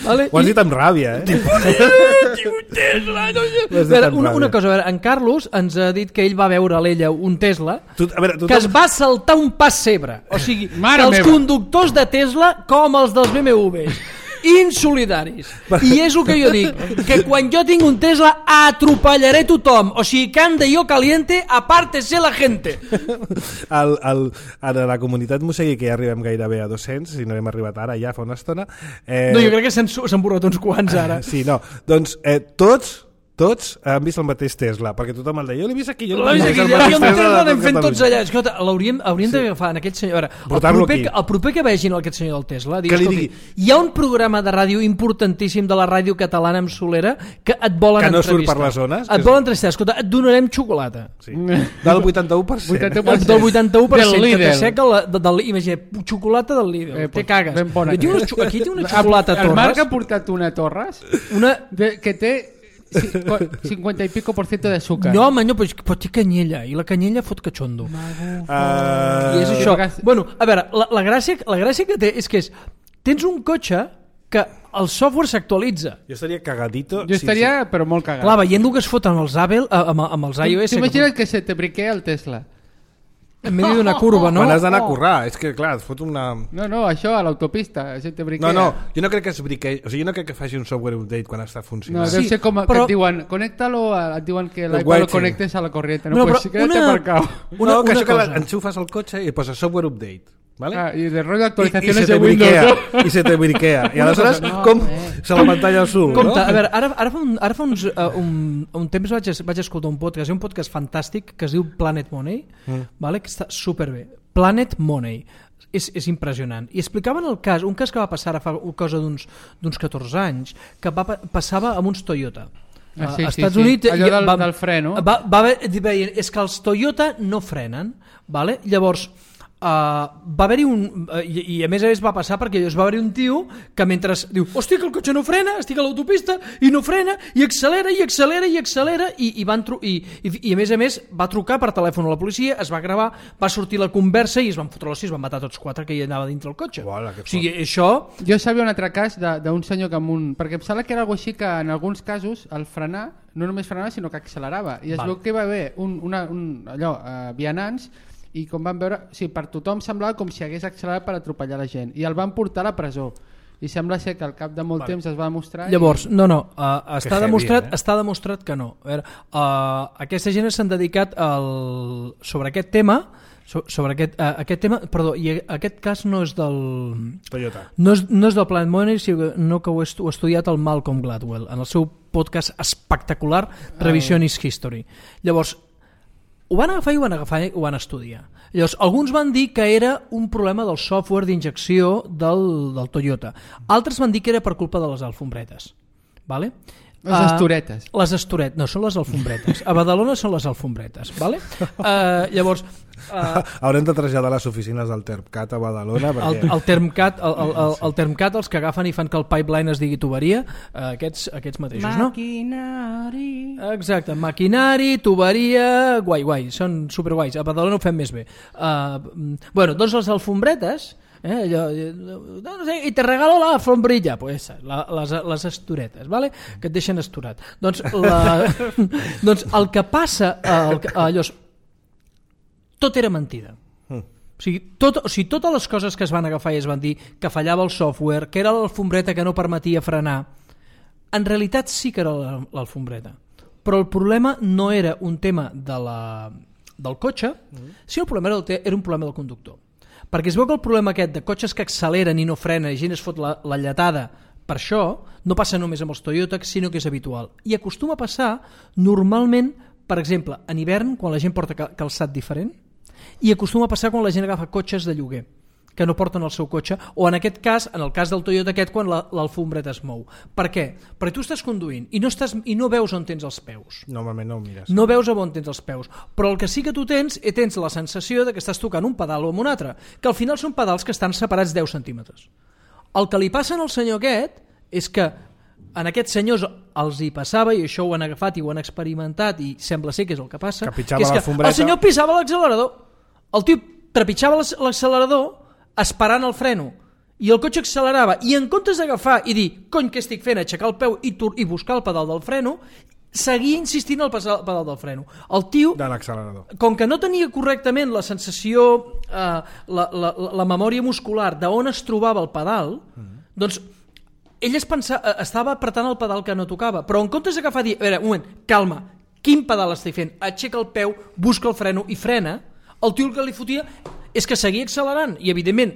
Vale, ho has dit amb ràbia, eh? Tinc un Tesla! No, veure, una, una cosa, a veure, en Carlos ens ha dit que ell va veure a l'ella un Tesla tu, a veure, tu que es va saltar un pessebre. O sigui, Mare que els meva. conductors de Tesla com els dels B M Ws. Insolidaris. I és el que jo dic, que quan jo tinc un Tesla atropellaré tothom, o sigui que ande yo caliente, apártese la gente. el, el, ara la comunitat Mosegui, que ja arribem gairebé a dos-cents, si no hem arribat ara ja fa una estona, eh... no, jo crec que s'han borrat uns quants ara. Sí, no, doncs eh, tots tots han vist el mateix Tesla, perquè tothom el deia, jo l'he vist aquí, jo l'he vist aquí, el mateix Tesla, l'hem fet tots allà. Escolta, l'hauríem sí. d'agafar en aquest senyor. El proper, el proper que vegin aquest senyor del Tesla, digui, digui, hi ha un programa de ràdio importantíssim de la ràdio catalana amb Solera que et volen que no entrevistar. Surt per les zones. Et volen entrevistar, escolta, et donarem xocolata. Sí. Del vuitanta-u per cent. vuitanta-u per cent. Del vuitanta-u per cent, que t'asseca la, de, del, imagina, xocolata del Lidl, eh, te cagues. Aquí, unes, aquí té una xocolata Torres. El Marc ha portat una Torres una... de, que té cinquanta i pico por ciento de azúcar. No, home, no, però, però té canyella i la canyella fot cachondo. Uh... I és això. Bueno, a veure, la, la, gràcia, la gràcia que té és que és, tens un cotxe que el software s'actualitza. Jo estaria cagadito. Jo estaria, sí, sí. però molt cagat. Clar, veient el que es foten els Apple, amb, amb els iOS... T'imagines que, que se te briquea el Tesla? En medio d'una curva, no? Quan has d'anar a currar, és que clar, et fot una... No, no, això a l'autopista, se te briquea. No, no, jo no crec que es briquei, o sigui, jo no crec que faci un software update quan està funcionant. No, deu sí, ser com però... que et diuen, conéctalo, et diuen que l'iPad lo connectes a la corriente. No, no pues quédate una... aparcado. Una, no, que una això cosa. Que enxufes el cotxe i posa software update. ¿Vale? Ah, y de rollo de actualizaciones I, i de Windows, ¿no? I se te briquea. I aleshores, no, com eh. se la pantalla al sud, Compte, no? A veure, ara, ara fa, un, ara fa uns, uh, un, un temps vaig, vaig escoltar un podcast, un podcast fantàstic que es diu Planet Money, mm. vale? Que està superbé. Planet Money. És, és impressionant. I explicaven el cas, un cas que va passar a fa cosa d'uns d'uns catorze anys, que va, passava amb uns Toyota. Ah, sí, a Estats sí, Units, sí. Allò del, va, del fre, no? Va, va haver, és que els Toyota no frenen, vale? Llavors Uh, va haver-hi un uh, i, i a més a més va passar perquè llavors va haver-hi un tio que mentre diu, hòstia, que el cotxe no frena, estic a l'autopista i no frena, i accelera, i accelera, i accelera, i, i, van tru- i, i, i a més a més va trucar per telèfon a la policia, es va gravar, va sortir la conversa i es van fotre l'hòstia, es van matar tots quatre que hi anava dintre el cotxe. Uala, o sigui, això... Jo sabia un altre cas de- d'un senyor que amb un... perquè em sembla que era algo així que en alguns casos el frenar, no només frenava sinó que accelerava, i es Val. veu que va haver un, una, un, allò, uh, vianants, i com van veure, o sigui, per tothom semblava com si hagués accelerat per atropellar la gent, i el van portar a la presó, i sembla ser que al cap de molt Vale. temps es va demostrar. Llavors, i... no, no, uh, està, heavy, demostrat, eh? està demostrat que no. A veure, uh, aquesta gent s'han dedicat al... sobre aquest tema, so, sobre aquest, uh, aquest tema, perdó, i aquest cas no és del... Toyota. No és, no és del Planet Money, sinó que ho he, estu- ho ha estudiat el Malcolm Gladwell, en el seu podcast espectacular, Revisionist History. Llavors, ho van agafar i ho van agafar i ho van estudiar. Llavors, alguns van dir que era un problema del software d'injecció del, del Toyota. Altres van dir que era per culpa de les alfombretes. Vale? Les estoretes. Uh, les estoretes, no, són les alfombretes. A Badalona són les alfombretes. Vale? Uh, llavors... Uh, Haurem de traslladar les oficines del Termcat a Badalona el, perquè... el, Termcat, el, el, el, el Termcat, els que agafen i fan que el pipeline es digui tuberia, uh, aquests, aquests mateixos, no? Maquinari. Exacte, maquinari, tuberia, guai, guai, són superguais. A Badalona ho fem més bé. Uh, bueno, doncs les alfombretes, eh, allò, no sé, i te regalo la alfombrilla, pues, la, les, les estoretes, vale? Que et deixen estorat. Doncs, la, doncs el que passa, el, allò, tot era mentida. Mm. O sigui, tot, o sigui, totes les coses que es van agafar i es van dir que fallava el software, que era l'alfombreta que no permetia frenar, en realitat sí que era l'alfombreta. Però el problema no era un tema de la, del cotxe, mm. sinó el problema era, era un problema del conductor. Perquè es veu que el problema aquest de cotxes que acceleren i no frenen i gent es fot la, la lletada per això, no passa només amb els Toyota, sinó que és habitual. I acostuma a passar normalment, per exemple, en hivern, quan la gent porta calçat diferent, i acostuma a passar quan la gent agafa cotxes de lloguer que no porten el seu cotxe, o en aquest cas, en el cas del Toyota aquest, quan l'alfombreta es mou. Per què? Perquè tu estàs conduint i no, estàs, i no veus on tens els peus. Normalment no ho mires. No veus on tens els peus. Però el que sí que tu tens, és tens la sensació de que estàs tocant un pedal o amb un altre, que al final són pedals que estan separats deu centímetres. El que li passa al senyor aquest és que en aquests senyors els hi passava, i això ho han agafat i ho han experimentat, i sembla ser que és el que passa, que, que és que el senyor pisava l'accelerador. El tio trepitjava l'accelerador esperant el freno i el cotxe accelerava, i en comptes d'agafar i dir, cony, què estic fent, aixecar el peu i, i buscar el pedal del freno, seguia insistint al pedal del freno. El tio, de l'accelerador, com que no tenia correctament la sensació, eh, la, la, la memòria muscular d'on es trobava el pedal, mm. doncs ell es pensava, estava apretant el pedal que no tocava, però en comptes d'agafar i dir, a veure, un moment, calma, quin pedal estic fent? Aixeca el peu, busca el freno i frena. El tio el que li fotia és que seguia accelerant, i evidentment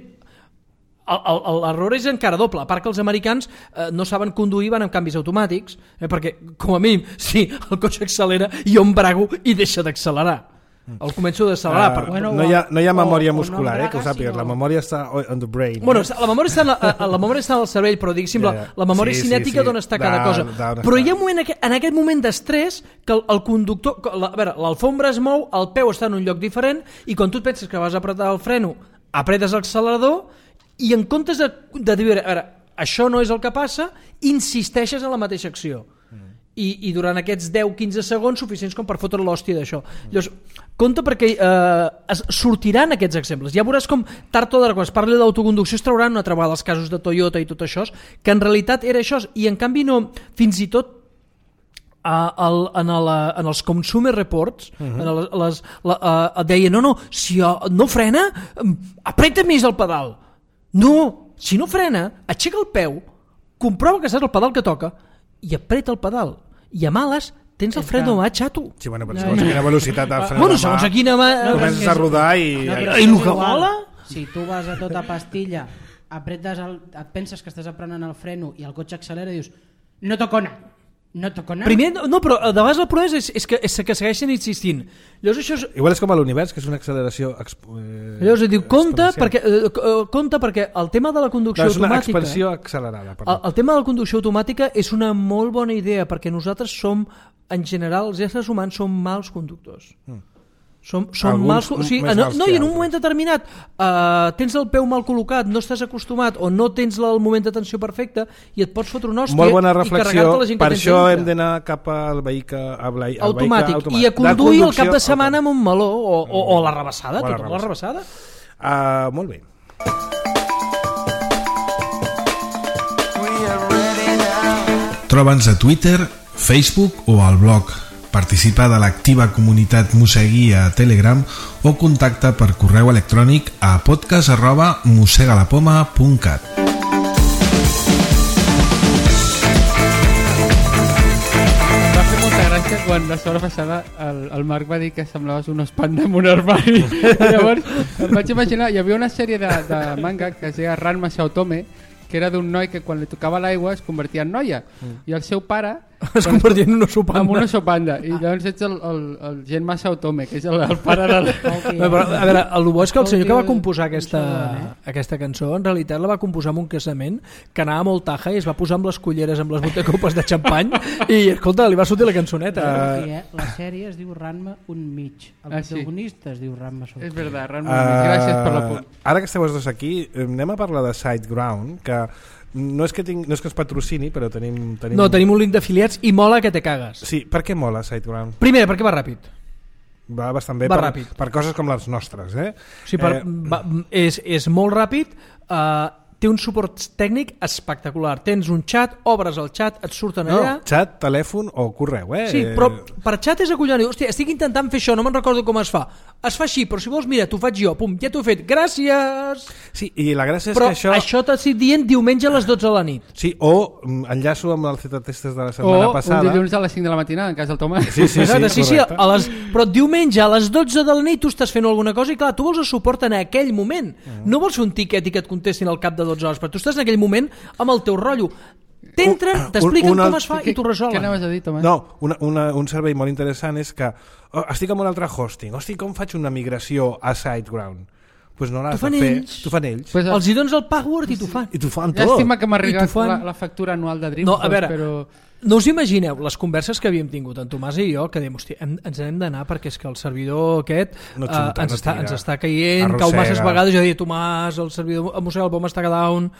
l'error és encara doble, a part que els americans eh, no saben conduir, van amb canvis automàtics, eh, perquè com a mínim si el cotxe accelera jo embrago i deixa d'accelerar, el començo d'accelerar. uh, per... bueno, no, hi ha, no hi ha memòria o, muscular, o no eh, que ho sàpigues, sinó... la memòria està on the brain. Bueno, la memòria està en, la, la memòria està en el cervell, però diguéssim, ja, ja. la, la memòria sí, cinètica sí, sí. d'on està cada de, cosa. Però hi ha un moment, en aquest moment d'estrès, que el, el conductor, la, a veure, l'alfombra es mou, el peu està en un lloc diferent, i quan tu et penses que vas apretar el freno, apretes l'accelerador, i en comptes de, de dir, a veure, això no és el que passa, insisteixes en la mateixa acció. I, i durant aquests deu a quinze segons suficients com per fotre l'hòstia d'això. Llavors, compte perquè eh, es sortiran aquests exemples. Ja veuràs com tard o d'hora, quan es parli d'autoconducció, es trauran una altra vegada els casos de Toyota i tot això, que en realitat era això, i en canvi no, fins i tot a, el, en, el, en els consumer reports, uh -huh. en les, les, la, uh, deia, no, no, si no frena, apreta més el pedal. No, si no frena, aixeca el peu, comprova que saps el pedal que toca, i apreta el pedal, i a males tens el fren de mà xato. Sí, bueno, però segons quina velocitat el fren bueno, de mà, segons a quina mà no, comences a rodar i... No, I el que mola? Si tu vas a tota pastilla, apretes el, et penses que estàs aprenent el freno i el cotxe accelera i dius, no toco nada, no toco nada. Primer, no, però de vegades el problema és, és, que, és que segueixen insistint. Llavors això és... Igual és com a l'univers, que és una acceleració expo... eh, Llavors diu, compte perquè, eh, compte perquè el tema de la conducció no, és una automàtica... expansió accelerada. El, el tema de la conducció automàtica és una molt bona idea, perquè nosaltres som, en general, els éssers humans som mals conductors. Mm. Són, són mal, o sigui, no, no, i en un moment determinat uh, tens el peu mal col·locat, no estàs acostumat o no tens el moment d'atenció perfecte i et pots fotre una hòstia. Molt bona reflexió, la gent per que això hem d'anar cap al vehicle, al vehicle automàtic. automàtic I a conduir el cap de setmana amb un meló o, o, o la rebassada, o la tothom la rebassada. Uh, molt bé. Troba'ns a Twitter, Facebook o al blog. Participa de l'activa comunitat Mossegui a Telegram o contacta per correu electrònic a podcast arroba mossegalapoma punt cat. Va fer molta gràcia quan la setmana passada el, el Marc va dir que semblaves un espanda en un armari. Llavors em vaig imaginar, hi havia una sèrie de, de manga que es deia Ranma Shoutome, que era d'un noi que quan li tocava l'aigua es convertia en noia, mm. i el seu pare es convertia en un oso panda. En un oso panda. I llavors ets el, el, el gent massa Otome, que és el, el pare de... La... No, però, a veure, el bo és que el senyor que va composar aquesta, aquesta cançó, en realitat la va composar en un casament que anava molt taja i es va posar amb les culleres, amb les botecopes de xampany i, escolta, li va sortir la cançoneta. Uh, eh? La sèrie es diu Ranma un mig. El ah, protagonista sí. Es diu Ranma Soto. És veritat, Ranma uh, un mig. Gràcies per la punt. Ara que esteu els dos aquí, anem a parlar de Sideground, que no és que, tinc, no és que es patrocini, però tenim, tenim... No, tenim un link d'afiliats i mola que te cagues. Sí, per què mola Sideground? Primer, perquè va ràpid. Va bastant bé va per, ràpid. Per coses com les nostres, eh? Sí, per, eh... va, és, és molt ràpid, uh, té un suport tècnic espectacular. Tens un xat, obres el xat, et surten no, allà... xat, telèfon o correu, eh? Sí, però per xat és acollonant. Hòstia, estic intentant fer això, no me'n recordo com es fa. Es fa així, però si vols, mira, t'ho faig jo. Pum, ja t'ho he fet. Gràcies! Sí, i la gràcia és però que això... Però això t'ha estat dient diumenge a les dotze de la nit. Sí, o enllaço amb el Z-Testes de la setmana o passada. O un dilluns a les cinc de la matinada, en cas del Tomàs. Sí, sí, sí, sí, sí, a les... Però diumenge a les dotze de la nit tu estàs fent alguna cosa i clar, tu vols el suport en aquell moment. Mm. No vols fer un tiquet i que et contestin al cap de dotze hores, però tu estàs en aquell moment amb el teu rotllo. T'entren, t'expliquen com es fa i t'ho resolen. Què anaves a dir, Tomàs? No, una, una, un servei molt interessant és que oh, estic amb un altre hosting, hosti, com faig una migració a SiteGround? Pues no l'has de fer, t'ho fan ells. Pues els hi dones el password i t'ho fan. I t'ho fan tot. Llàstima que m'ha arribat fan... la, la factura anual de Dreamforce, no, a veure, però... No us imagineu les converses que havíem tingut en Tomàs i jo, que dèiem, hòstia, hem, ens hem d'anar perquè és que el servidor aquest no xuta, uh, ens, no està, ens està caient, arrossega. Cau masses vegades, jo deia, Tomàs, el servidor, el Mossega el Poma està down,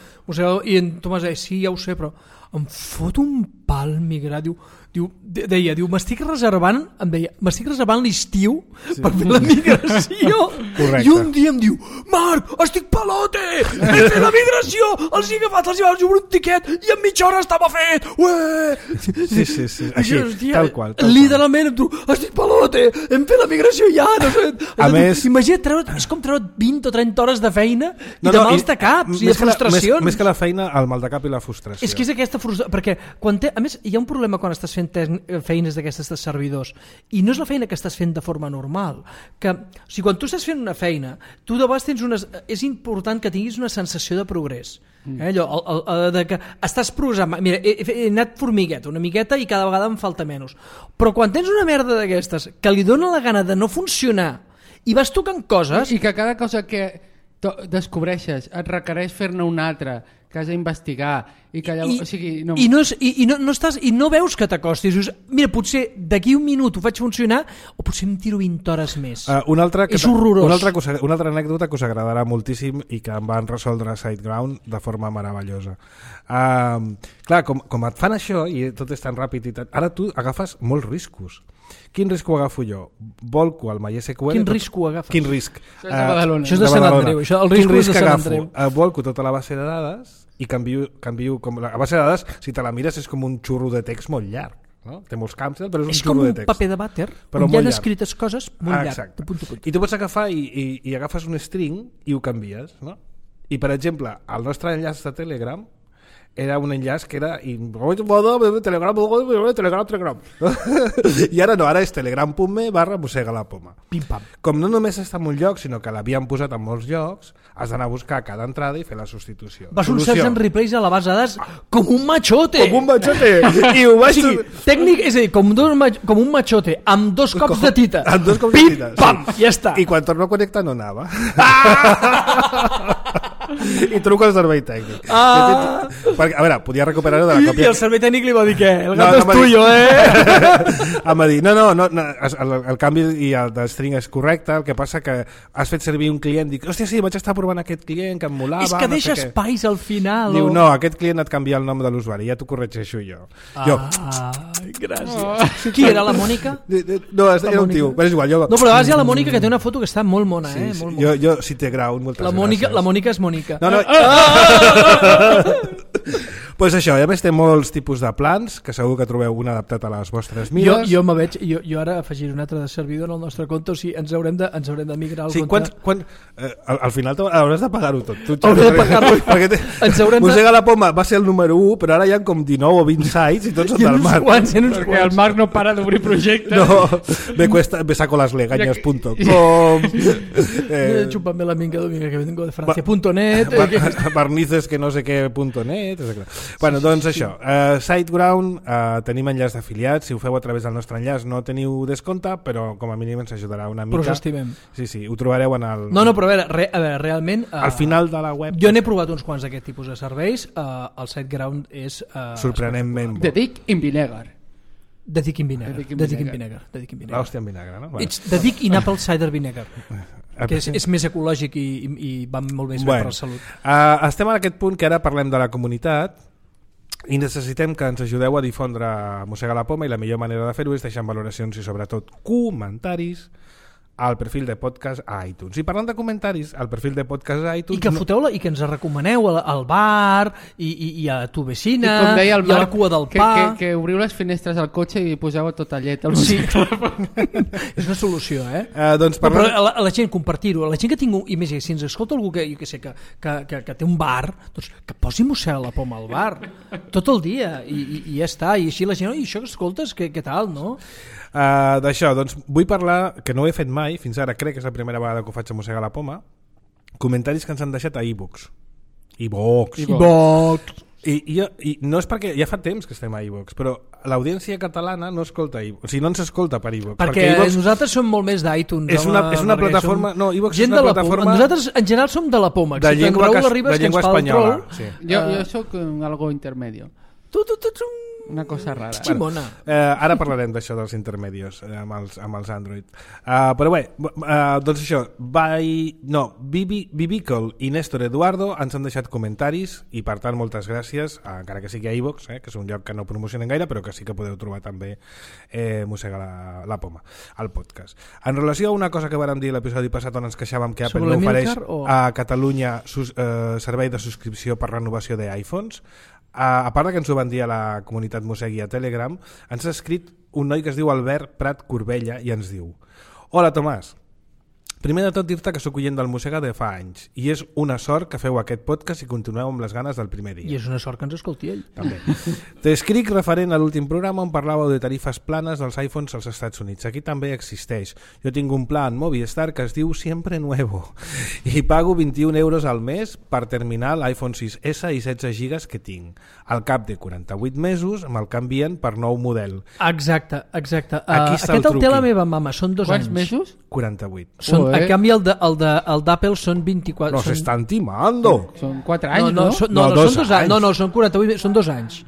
i en Tomàs deia, sí, ja ho sé, però em fot un pal migrar, diu, diu, deia, diu, m'estic reservant, em deia, m'estic reservant l'estiu sí. per fer la migració. Correcte. I un dia em diu, Marc, estic pelote, he fet la migració, els he agafat, els he agafat un tiquet i en mitja hora estava fet. Ué! Sí, sí, sí, així, hòstia, tal qual. Tal literalment em diu, estic pelote, hem fet la migració ja, no sé. A més... Imagina't, treure, és com treure vint o trenta hores de feina i no, de no, mals de caps i, i de frustracions. La, més, més que la feina, el mal de cap i la frustració. És que és aquesta frustració, perquè quan té, a més hi ha un problema quan estàs fent feines d'aquestes de servidors i no és la feina que estàs fent de forma normal, que o sigui, quan tu estàs fent una feina tu de vegades tens unes, és important que tinguis una sensació de progrés. Eh, allò, el, el, de que estàs programant, mira, he, he anat formigueta una miqueta i cada vegada em falta menys, però quan tens una merda d'aquestes que li dona la gana de no funcionar i vas tocant coses i que cada cosa que descobreixes et requereix fer-ne una altra que has d'investigar i que llavors, I, o sigui, no... i, no, és, i, i, no, no estàs, i no veus que t'acostis, dius, mira, potser d'aquí un minut ho faig funcionar o potser em tiro vint hores més. Uh, una altra que és horrorós. Una altra, cosa, una altra anècdota que us agradarà moltíssim i que em van resoldre a SiteGround de forma meravellosa. Uh, clar, com, com et fan això i tot és tan ràpid i tant, ara tu agafes molts riscos. Quin risc ho agafo jo? Volco el MySQL... Quin risc ho agafes? Quin risc? Això és de Badalona. Uh, això és de Sant Andreu. Això, el risc Quin risc és de Sant agafo? Andreu. Uh, volco tota la base de dades i canvio, canvio com la base de dades, si te la mires és com un xurro de text molt llarg, no? Té molts camps, però és un és xurro de text. És com un paper de vàter on hi ha escrites coses molt ah, llarg, de punt a punt. I tu pots agafar i, i, i agafes un string i ho canvies, no? I per exemple, el nostre enllaç de Telegram era un enllaç que era telegram, telegram, telegram. I ara no, ara és telegram.me barra mossega la poma. Pim pam. Com no només està en un lloc, sinó que l'havien posat en molts llocs, has d'anar a buscar cada entrada i fer la substitució. Vas un search and replace a la base de dades com un machote. Com un machote. I ho vaig... O sigui, tècnic, és a dir, com, dos, com un machote, amb dos cops com, de tita. Amb dos cops Pim, de tita. Pam, sí. ja està. I quan torno a connectar no anava. Ah! I truco al servei tècnic. Ah. Perquè, a veure, podia recuperar-ho de la I còpia. el servei tècnic li va dir què? El No, gato no, és va dir- tuyo, eh? Em va dir, no, no, no, no el, el canvi i el de string és correcte, el que passa que has fet servir un client, dic, hòstia, sí, vaig estar provant aquest client que em molava, És que no deixa sé què. espais al final. Diu, o- no, aquest client et canvia el nom de l'usuari, ja t'ho corregeixo jo. Jo, Ai, gràcies. Qui era, la Mònica? no, era un tio, però és igual, jo... No, però a vegades hi ha la Mònica que té una foto que està molt mona, Sí, eh? sí, Molt jo, mona. jo si té grau, moltes La Mònica, gràcies. la Mònica és Mònica. No, no. Pues això, a més té molts tipus de plans, que segur que trobeu un adaptat a les vostres Jo, mides. jo, me veig, jo, jo ara afegiré un altre de servidor en el nostre compte, o sigui, ens haurem de, ens haurem de migrar al Sí, compte. quan, quan, eh, al, al final t'ho- hauràs de pagar-ho tot. Tu, Hauré de perquè- pagar-ho. perquè té, Ens haurem de- Mossega la Poma va ser el número u, però ara hi ha com dinou o vint sites i tots són Hi ha del uns Marc. quants, hi ha uns Perquè el quants. Marc no para d'obrir projectes. No, me cuesta, me saco las legañas punto com, Eh, eh, Chúpame la minga dominga que vengo de Francia punto net, eh, que... bar- barnices que no sé què punto net, etcètera. Bueno, doncs això, uh, SiteGround, uh, tenim enllaç d'afiliats, si ho feu a través del nostre enllaç no teniu descompte, però com a mínim ens ajudarà una mica. Però us estimem. Sí, sí, ho trobareu en el... No, no, però a veure, re, a veure realment... Uh, al final de la web. Jo n'he provat uns quants d'aquest tipus de serveis. Uh, el SiteGround és... Uh, Sorprenentment The bo. Dick in Vinegar. The Dick in Vinegar. The Dick in The Dick in Vinegar. Vinegar. The Dick in Vinegar. L'hòstia en vinagre, no? Bueno. It's The Dick in Apple Cider Vinegar, que és, és més ecològic i, i, i va molt més bé Bueno, per la salut. Uh, estem en aquest punt que ara parlem de la comunitat i necessitem que ens ajudeu a difondre Mossega la Poma, i la millor manera de fer-ho és deixant valoracions i sobretot comentaris al perfil de podcast a iTunes. I parlant de comentaris, al perfil de podcast a iTunes... I que foteu la, i que ens recomaneu al, al bar i, i, i a tu I vecina com deia el i a la Marc, cua del que, pa. que, que obriu les finestres al cotxe i poseu tota llet al Sí. És una solució, eh? Uh, doncs Però, parlant... però a, la, a la gent compartir-ho, a la gent que tingui, i més, si ens escolta algú que, jo que sé, que, que, que, que té un bar, doncs que posi Mossega la Poma al bar tot el dia i, i, i ja està, i així la gent, oi, això que escoltes, què, què tal, no? Uh, d'això, doncs vull parlar, que no ho he fet mai, fins ara crec que és la primera vegada que ho faig a Mossega la Poma, comentaris que ens han deixat a iVoox. iVoox. Box. I, i, I no és perquè ja fa temps que estem a iVoox, però l'audiència catalana no escolta iVoox, o sigui, no ens escolta per iVoox. Perquè, perquè iVoox nosaltres som molt més d'iTunes. és una, home, és una perquè plataforma... som No, iVoox és gent una de la plataforma Poma. Nosaltres, en general, som de la Poma. de excepte en llengua, Raül cas, Arribas, de que ens llengua fa el espanyola. troll. Sí. Jo, Eh, jo sóc un algo intermedio. Tu, tu, tu, tu. Una cosa rara. Ximona. Eh, ara parlarem d'això dels intermedios eh, amb, els, amb els Android. Uh, però bé, uh, doncs això, by, no, Bibi, Bibical i Néstor Eduardo ens han deixat comentaris i per tant moltes gràcies, uh, encara que sigui a iVoox, eh, que és un lloc que no promocionen gaire, però que sí que podeu trobar també eh, Mossega la, la Poma, al podcast. En relació a una cosa que vàrem dir l'episodi passat on ens queixàvem que Apple Sobre no ofereix l'Emilcar o- a Catalunya sus, eh, servei de subscripció per renovació d'iPhones, a, a part que ens ho van dir a la comunitat Mossegui a Telegram, ens ha escrit un noi que es diu Albert Prat Corbella i ens diu: Hola Tomàs, primer de tot dir-te que sóc oient del Mossega de fa anys i és una sort que feu aquest podcast i continueu amb les ganes del primer dia. I és una sort que ens escolti ell. També. T'escric referent a l'últim programa on parlàveu de tarifes planes dels iPhones als Estats Units. Aquí també existeix. Jo tinc un pla en Movistar que es diu Siempre Nuevo i pago vint-i-un euros al mes per terminar l'iPhone sis essa i setze gigas que tinc. Al cap de quaranta-vuit mesos me'l canvien per nou model. Exacte, exacte. Aquí Uh, està el aquest el té truqui. la meva mama, són dos Quants anys. mesos? quaranta-vuit. Són, Joder. en canvi, el de- el de- el d'Apple són vint-i-quatre. Nos són... están timando. Són quatre No, anys, no, no? són, no, No, no, dos són dos anys. anys. No, no, són quaranta-vuit, són dos anys.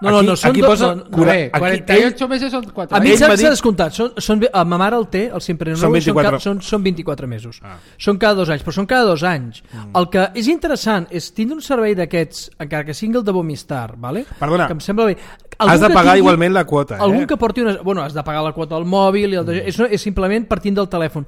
No, no, Aquí- no, són aquí dos... posa no, no. cura- Bé, aquí quaranta i ocho mesos són quatre A mi Ell anys. s'ha m'ha dit- descomptat. Són, són, a ma mare el té, el sempre Són nou, vint-i-quatre. Són, ca- són, són vint-i-quatre mesos. Ah. Són cada dos anys, però són cada dos anys. Mm. El que és interessant és tindre un servei d'aquests, encara que sigui el de Vomistar, ¿vale? Perdona, que em sembla bé. has Algun de que pagar tingui- igualment la quota, eh? Algun que porti una... Bueno, has de pagar la quota al mòbil, i el de... mm. és, és simplement partint del telèfon.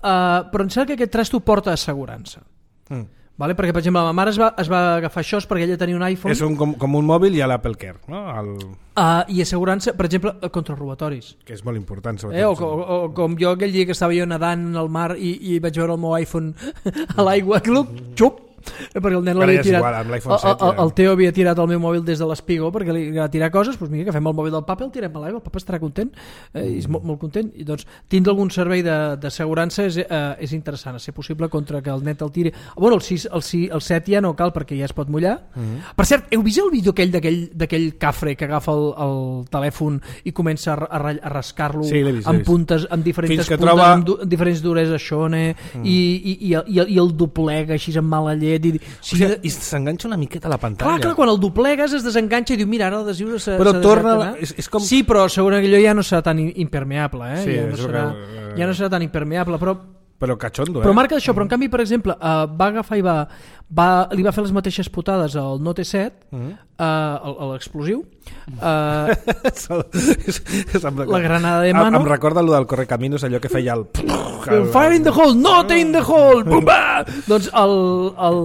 Uh, però em sembla que aquest trasto porta assegurança. Mm. Vale? Perquè, per exemple, la meva mare es va, es va agafar això perquè ella tenia un iPhone. És un, com, com un mòbil i a l'Apple Care, no? El, Uh, i assegurança, per exemple, contra robatoris. que és molt important. Eh, o, o, o com jo aquell dia que estava jo nedant al mar i, i vaig veure el meu iPhone a l'aigua, cluc, xup, perquè el nen Ara l'havia ja és tirat. igual, amb l'iPhone el, set el, ja. el Teo havia tirat el meu mòbil des de l'espigó perquè li agrada tirar coses, doncs mira, agafem el mòbil del papa i el tirem a l'aigua, el papa estarà content, eh, i és molt, molt content. I doncs tindre algun servei de- d'assegurança és, eh, és interessant, a ser possible contra que el net el tiri. Bueno, el, sis, el, sis, el set ja no cal perquè ja es pot mullar. Mm-hmm. Per cert, heu vist el vídeo aquell d'aquell d'aquell cafre que agafa el, el telèfon i comença a, a, a rascar-lo Sí, l'he vist, l'he amb vist. puntes, amb diferents Fins que puntes, troba- amb, du, amb diferents duresa xone, mm. i, i, i, el, i, el, i el doblega així amb mala llet llet. I, o sigui, i s'enganxa una miqueta a la pantalla. Clar, clar, quan el doblegues es desenganxa i diu, mira, ara l'adhesiu s'ha però torna, és, és com... Sí, però segurament que allò ja no serà tan impermeable, eh? Sí, ja, no serà, que... ja no serà tan impermeable, però... Però cachondo, eh? Però marca això, però en canvi, per exemple, uh, va agafar i va, va, li va fer les mateixes putades al Note set, mm-hmm. uh, l'explosiu, uh, la granada de mano... Em recorda allò del Correcaminos, allò que feia el... Fire in the hole, not in the hole! Doncs, el, el,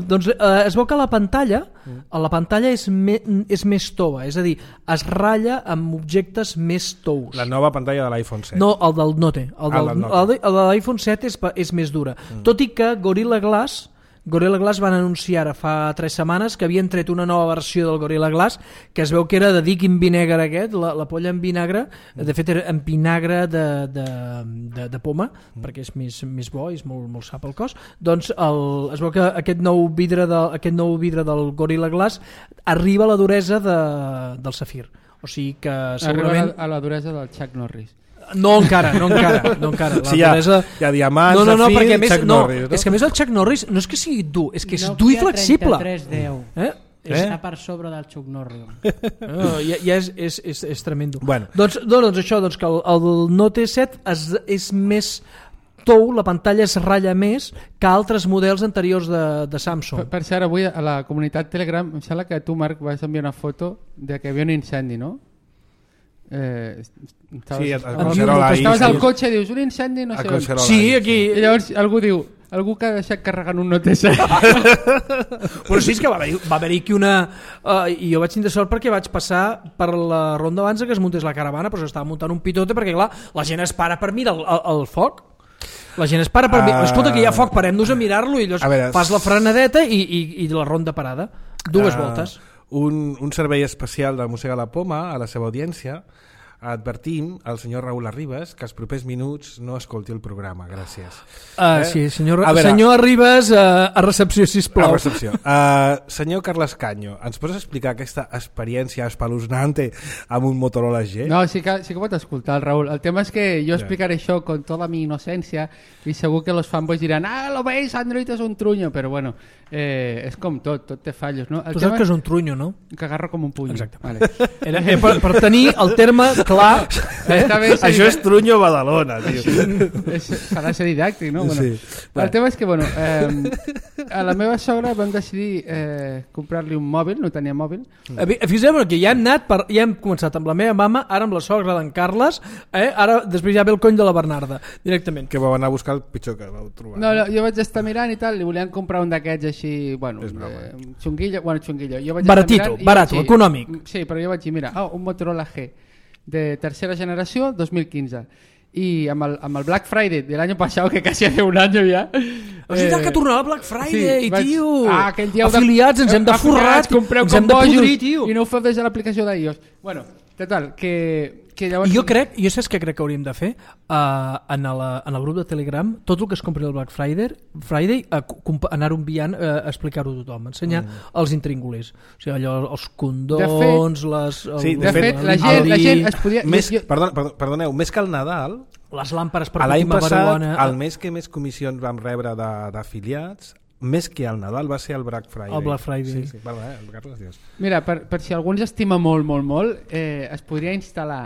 doncs uh, es veu que la pantalla, a la pantalla és, me, és més tova, és a dir, es ratlla amb objectes més tous. La nova pantalla de l'iPhone set. No, el del Note. El, del, ah, Note. el, de, el de l'iPhone set és, és més dura. Mm. Tot i que Gorilla Glass Gorilla Glass van anunciar ara fa tres setmanes que havien tret una nova versió del Gorilla Glass que es veu que era de Dick in vinagre aquest, la, la polla en vinagre, de fet era en vinagre de, de, de, de poma, mm. perquè és més, més bo i és molt, molt sap el cos. Doncs el, es veu que aquest nou vidre, de, aquest nou vidre del Gorilla Glass arriba a la duresa de, del safir. O sigui que segurament... Arriba a la, a la duresa del Chuck Norris. No encara, no encara, no encara. La sí, hi ha, duresa... hi ha diamants, no, no, no, zafir, més, Chuck no, Norris. No? És que a més el Chuck Norris no és que sigui dur, és que és Nokia dur i flexible. trenta-tres deu. Eh? Està per sobre del Chuck Norris. No, ja, ja és, és, és, és tremendo. Bueno. Doncs, doncs això, doncs que el, el Note set es, és més tou, la pantalla es ratlla més que altres models anteriors de, de Samsung. Per, per cert, avui a la comunitat Telegram em sembla que tu, Marc, vas enviar una foto de que hi havia un incendi, no? Eh, estaves, sí, estaves, estaves al cotxe i dius un incendi, no sé on. Sí, aquí. I llavors algú diu, algú que ha deixat carregant un Note set. Però sí, és que va haver-hi va haver aquí una... Uh, i jo vaig tenir sort perquè vaig passar per la ronda abans que es muntés la caravana, però s'estava muntant un pitote perquè, clar, la gent es para per mirar el, el, el foc. La gent es para per mirar... Uh... Escolta, que hi ha foc, parem-nos a mirar-lo i llavors veure, fas la frenadeta i, i, i la ronda parada. Dues uh... voltes. Un, un servei especial de Mossega la Poma a la seva audiència. Advertim al senyor Raül Arribas que els propers minuts no escolti el programa, gràcies. Uh, eh? Sí, senyor, a veure, senyor Arribas, uh, a recepció, sisplau. A recepció. Uh, senyor Carles Canyo, ens pots explicar aquesta experiència espeluznante amb un Motorola G? No, sí que, sí que pot escoltar el Raül. El tema és que jo explicaré això con tota mi innocència i segur que los fanboys diran ah, lo veis, Android és un truño, però bueno, eh, és com tot, tot té fallos, no? El tu saps que és un truño, no? Que agarro com un puny. Exacte. Vale. Era, eh, per, per tenir el terme clar... Eh? Bé, sí, això és truño Badalona, tio. És, s'ha de ser didàctic, no? Bueno, sí. El tema és que, bueno, eh, a la meva sogra vam decidir eh, comprar-li un mòbil, no tenia mòbil. Fixeu-vos que ja hem anat, per, ja hem començat amb la meva mama, ara amb la sogra d'en Carles, eh? Ara després ja ve el cony de la Bernarda, directament. Que vau anar a buscar el pitjor que vau trobar. No, no, jo vaig estar mirant i tal, li volien comprar un d'aquests així, bueno, eh, xunguillo, bueno, xunguillo. Jo vaig baratito, barato, sí, econòmic. Sí, però jo vaig dir, mira, oh, un Motorola G de tercera generació, dos mil quinze. Y amb el, amb el Black Friday del año pasado, que casi hace un año ya... És veritat eh, que tornava Black Friday, sí, vaig, tio! Ah, dia afiliats, ens hem de forrar, ens hem de podrir, tio! I no ho feu des de l'aplicació d'iOS. Bueno, total, que... que llavors... Jo crec, jo saps què crec que hauríem de fer? Uh, en, la, en el grup de Telegram, tot el que es compri el Black Friday, Friday uh, anar-ho enviant, uh, explicar-ho a tothom, ensenyar mm. els intríngulis. O sigui, allò, els condons, fet, les... El, sí, de, de fet, la gent, la gent es podia... Més, jo, jo... perdona, perdoneu, més que el Nadal... Les làmperes per l'any passat, marihuana... el mes que més comissions vam rebre d'afiliats, més que el Nadal va ser el Black Friday. El Black Friday. Sí, sí, perdó, eh, el Carles, dius. Mira, per, per si algú ens estima molt, molt, molt, eh, es podria instal·lar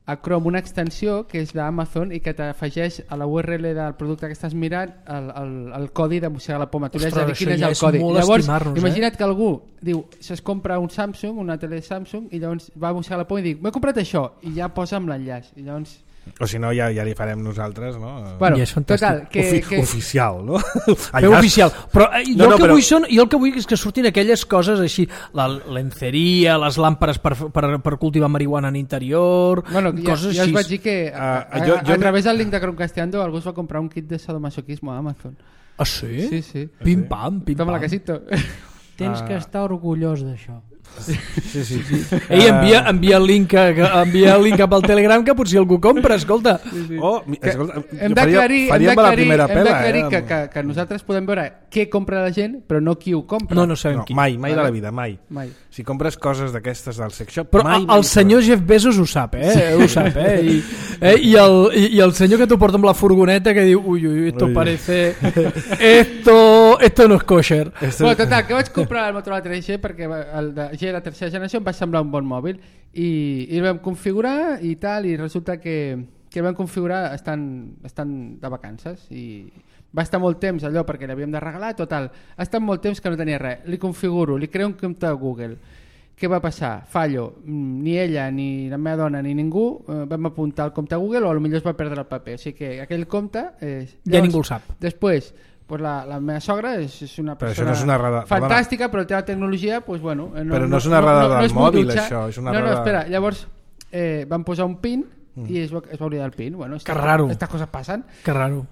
a Chrome una extensió que és d'Amazon i que t'afegeix a la U R L del producte que estàs mirant el, el, el codi de Mossegar la Poma. Tu li has de dir quin és el codi. Llavors, imagina't eh? que algú diu, es compra un Samsung, una tele Samsung, i llavors va a Mossegar la Poma i diu, m'he comprat això, i ja posa amb l'enllaç. I llavors... O si no, ja, ja li farem nosaltres, no? Bueno, ja és total, que, Ofi que... Oficial, no? Feu oficial. Però eh, jo, no, no, el que però... vull són, jo el que vull és que surtin aquelles coses així, la lenceria, les làmperes per, per, per cultivar marihuana en interior, bueno, coses ja, ja així. us vaig dir que a, a, a, jo, jo a través del link de Chromecastando algú es va comprar un kit de sadomasoquismo a Amazon. Ah, sí? Sí, sí. Pim pam, pim Toma pam. la casito. Tens que estar orgullós d'això. Sí, sí, sí. Ei, envia, envia, el link, que, envia el link cap al Telegram que potser algú compra, escolta. Sí, sí. Oh, Que escolta, hem jo faria, d'aclarir hem faríem la d'aclarir primera hem pela, d'aclarir eh? que, que, que nosaltres podem veure què compra la gent, però no qui ho compra. No, no sabem No, qui. mai, mai de Vale. la vida, mai. Mai. Si compres coses d'aquestes del sex shop, Però mai, el, mai el senyor Jeff Bezos ho sap, eh? Ho sap, eh? I, eh? I, el, i, I el senyor que t'ho porta amb la furgoneta que diu ui, ui, esto Ui. parece... Esto, esto no es kosher. Esto- Bueno, total, que vaig comprar el Motorola tres G perquè el de G, la tercera generació, em va semblar un bon mòbil i, i el vam configurar i tal, i resulta que, que el vam configurar estan, estan de vacances i va estar molt temps allò perquè l'havíem de regalar, total, ha estat molt temps que no tenia res, li configuro, li creo un compte a Google. Què va passar? Fallo. Mm, Ni ella, ni la meva dona, ni ningú eh, vam apuntar el compte a Google, o potser es va perdre el paper. O sigui que aquell compte... Eh, Ja ningú el sap. Després, pues la, la meva sogra és, és una Però això persona no és una errada- fantàstica, però el tema de tecnologia, pues bueno... eh, Però no és una errada del és molt mòbil, dutxa. això, és una no, no, errada- espera, llavors eh, van posar un pin i es va, es va oblidar el pin. Bueno, Que raro. Estas coses passen. Que raro.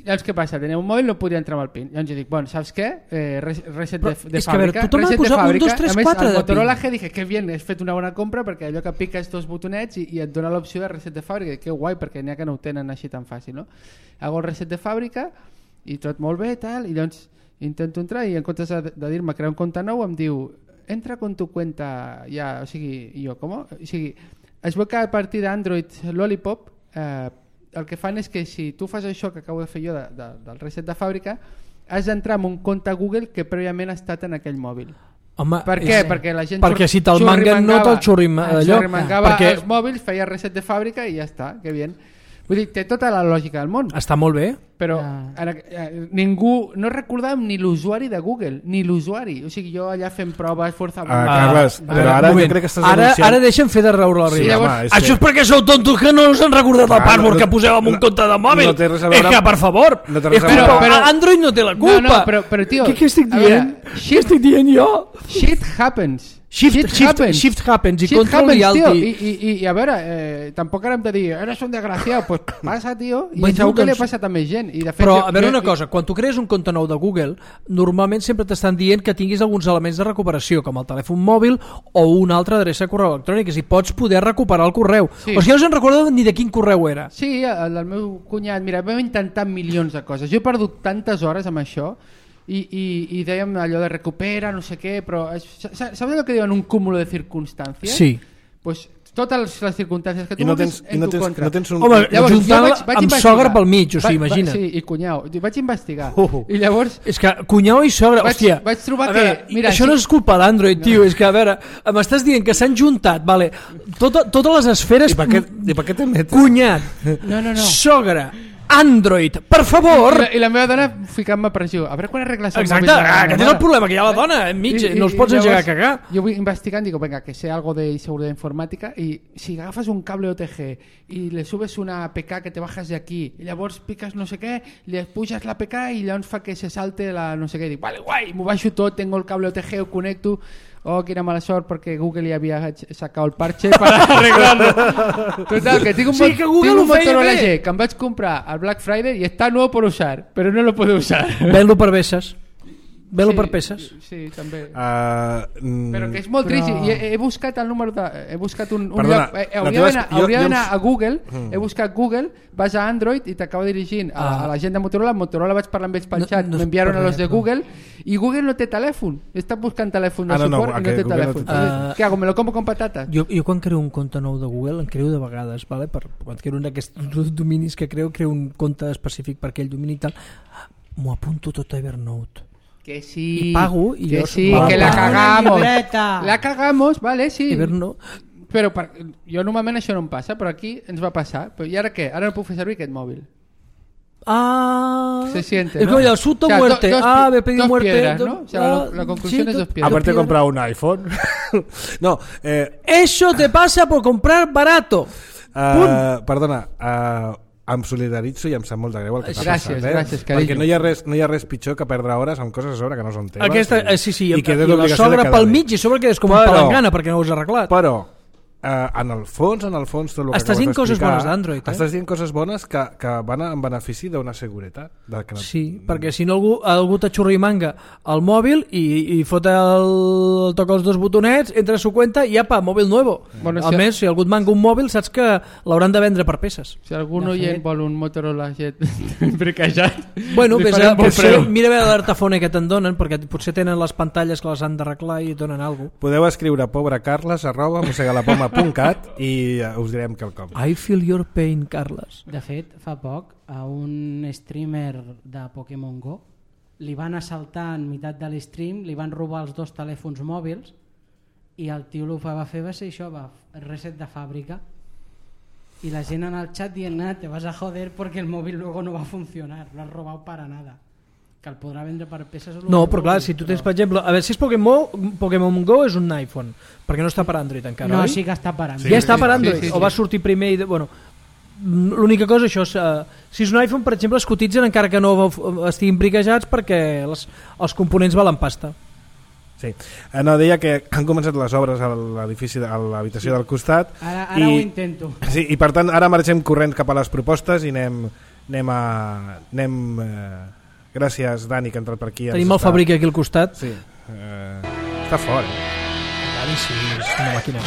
Llavors què passa? Tenia un mòbil, no podia entrar amb el pin. Llavors jo dic, bueno, saps què? Eh, res- reset de, Però de és que, a veure, fàbrica. tothom ha de reset de posar un, fàbrica. dos, tres, A més, quatre al de Motorola pin. G dije, que bien, has fet una bona compra perquè allò que piques dos botonets i, i et dona l'opció de reset de fàbrica. Que guai, perquè n'hi ha que no ho tenen així tan fàcil, no? Hago el reset de fàbrica i tot molt bé, tal, i llavors intento entrar i en comptes de, de dir-me crear un compte nou em diu, entra con tu cuenta ja, o sigui, i jo, com? O sigui, es veu que a partir d'Android Lollipop eh, el que fan és que si tu fas això que acabo de fer jo de, de, del reset de fàbrica, has d'entrar en un compte Google que prèviament ha estat en aquell mòbil. Home, Per què? és- Perquè la gent perquè si te'l manguen no te'l xurrim allò. xurrimangava Perquè els mòbils, feia reset de fàbrica i ja està, que bien. Vull dir, té tota la lògica del món. està molt bé. Però Ja. ara, eh, ningú, no recordàvem ni l'usuari de Google, ni l'usuari. O sigui, jo allà fent proves, força... Ah, Carles, a però veure, ara un jo moment. crec que estàs ara, denunciant- ara deixa'm fer de raure la Sí, riba. home, Llavors, és això que- és perquè sou tontos que no us han recordat el Clar, password no- que poseu en un no- compte de mòbil. no té res a veure és que, amb- per favor, no té res és a culpa, veure- Però- Android no té la culpa. No, no, però, però tio... Què, què estic a veure, dient? Què estic dient jo? Shit happens. Shift, shift, shift happens i Shit control happens, reality. tio. I, i, i a veure, eh, tampoc ara hem de dir eres un desgraciat, pues passa, tio, i Bueno, segur que li ha doncs- passat a més gent. I de fet, Però, jo- a veure jo- una cosa, quan tu crees un compte nou de Google, normalment sempre t'estan dient que tinguis alguns elements de recuperació, com el telèfon mòbil o una altra adreça de correu electrònic, i pots poder recuperar el correu. Sí. O sigui, no se'n recorda ni de quin correu era. Sí, el del meu cunyat, mira, vam intentar milions de coses. Jo he perdut tantes hores amb això i, i, i dèiem allò de recupera, no sé què, però és- sa- saps allò que diuen un cúmulo de circumstàncies? Sí. Pues totes les circumstàncies que tu I no vulguis tens, i en no tu tens, contra. no tens un... Home, Llavors, juntant-la jo vaig- vaig amb investigar. sogre pel mig, o sigui, Va- va- imagina't. Sí, i cunyau. I vaig investigar. Uh. I llavors És que cunyau i sogra, Vaig- hòstia, vaig trobar a que- veure, mira, això sí. no és culpa d'Android, tio, és que a veure, m'estàs dient que s'han juntat, vale, tota, totes les esferes, I per què, i per què te metes? cunyat, No, no, no. sogra, Android, per favor. I la, i la meva dona ficant-me pressió. A veure quan arregles el Exacte, mòbil de la aquest és mare. el problema, que hi ha la dona enmig, I- i- no els i pots engegar a llavors cagar. Jo vull investigant, digo, venga, que sé algo de seguridad informática y si agafas un cable O T G y le subes una A P K que te bajas de aquí y llavors piques no sé què, li puges l'A P K i llavors fa que se salte la no sé què, dic, vale, guai, m'ho baixo tot, tengo el cable O T G, ho connecto. Oh, quina mala sort perquè Google ja havia sacado el parche para arreglarlo. Total, que tinc un, Sí, que Google tinc un ho feia Motorola bé. G que em vaig comprar al Black Friday y está nuevo por usar, pero no lo puedo usar. Ven-lo per peces. Ven-lo Sí, per peces. Sí, també. Uh, mm, Però que és molt Però- trist i he, he buscat el número de... He buscat un, un Perdona, lloc... Eh, la hauria teva- d'anar jo- hauria jo d'anar em- a Google, Mm. he buscat Google, vas a Android i t'acaba dirigint a, Ah. a la gent de Motorola. Motorola vaig parlar amb ells pel No- xat, no és m'enviaron per a los res, de no. Google i Google no té telèfon. Està buscant telèfon de Ah, no, no, suport i no aquest té Google no telèfon. té telèfon. Què hago? ¿Me lo como con patatas? Jo, jo quan creo un compte nou de Google, en creo de vegades, vale? Per, quan creo un d'aquests dominis que creo, creo un compte específic per aquell domini i tal, m'ho apunto tot a Evernote. Que sí. I pago i que jo- sí, Va, que la va. cagamos. Una llibreta. La cagamos, vale, sí. Evernote... Però per, jo normalment això no em passa, però aquí ens va passar. Però, I ara què? Ara no puc fer servir aquest mòbil. Ah, Se siente, es ¿no? como el asunto O sea, muerte. do- dos ah, pi- me pedí dos muerte. piedras, do- ¿no? O sea, la- la conclusión es dos piedras. Aparte de dos comprar un iPhone. no, eh, Eso te pasa por comprar barato. uh, perdona, uh, em solidaritzo i em sap molt de greu el que t'ha Gràcies, passat, eh? gràcies, carinyo. Perquè no hi, ha res, no hi ha res pitjor que perdre hores amb coses a sobre que no són teves. Aquesta, i, eh, sí, sí, i i, que i tens la l'obligació de sogra quedar pel bé. mig i a sobre quedes com Però- un palangana perquè no ho has arreglat. Però Uh, en el fons, en el fons tot el que estàs acabes dient coses d'explicar, bones d'Android, eh? Estàs dient coses bones que, que van en benefici d'una seguretat. De que no... Sí, perquè si no algú, algú t'aixurri manga al mòbil i, i fot el, toca els dos botonets, entra a su cuenta i apa, mòbil nuevo. Bueno, a si més, si algú et manga un mòbil, saps que l'hauran de vendre per peces. Si algun De oient fet- vol un Motorola Jet briquejat, Bueno, li ves farem a, bon potser, preu. mira a veure l'artafone que te'n donen, perquè potser tenen les pantalles que les han d'arreglar i et donen alguna cosa. Podeu escriure pobrecarles arroba mossegalapoma punt cat i uh, us direm quelcom. I feel your pain, Carles. De fet, fa poc, a un streamer de Pokémon Go li van assaltar en meitat de l'stream, li van robar els dos telèfons mòbils i el tio el que va fer va ser això, va reset de fàbrica. Y la gent en el chat dient, nada, te vas a joder porque el móvil luego no va a funcionar, lo has robado para nada. Que el podrà vendre per peces... No, però clar, si tu tens, per exemple... A veure, si és Pokémon, Pokémon Go és un iPhone, perquè no està per Android encara, no, oi? sí que està per Android. Sí, ja està sí, per sí, Android, sí, sí, o va sortir primer i... De, bueno, l'única cosa, això, és, uh, si és un iPhone, per exemple, es cotitzen encara que no estiguin briquejats perquè les, els components valen pasta. Sí. Eh, no, deia que han començat les obres a l'edifici, a l'habitació del costat. Ara, ara i, ho intento. Sí, i per tant ara marxem corrents cap a les propostes i anem, anem a... Anem, eh, gràcies, Dani, que ha entrat per aquí. Tenim el Fabric aquí al costat. Sí. Eh, està fort. Eh? Dani, sí, és una màquina.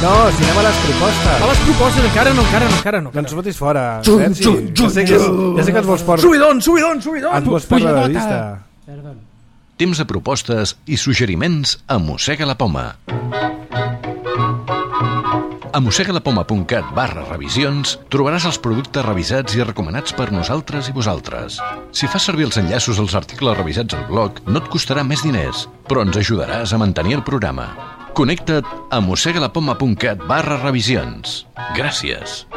No, si anem a les propostes. A les propostes, encara no, encara no, encara no. No ens fotis fora. Jum, Sergi. jum, jum, ja, sé que, ja sé que ens vols port... Subidon, subidon, subidon! Ens vols perdre de vista. Perdó. Temps de propostes i suggeriments a Mossega la Poma. A mossegalapoma punt cat barra revisions trobaràs els productes revisats i recomanats per nosaltres i vosaltres. Si fas servir els enllaços als articles revisats al blog, no et costarà més diners, però ens ajudaràs a mantenir el programa. Connecta't a mossegalapoma punt cat barra revisions. Gràcies.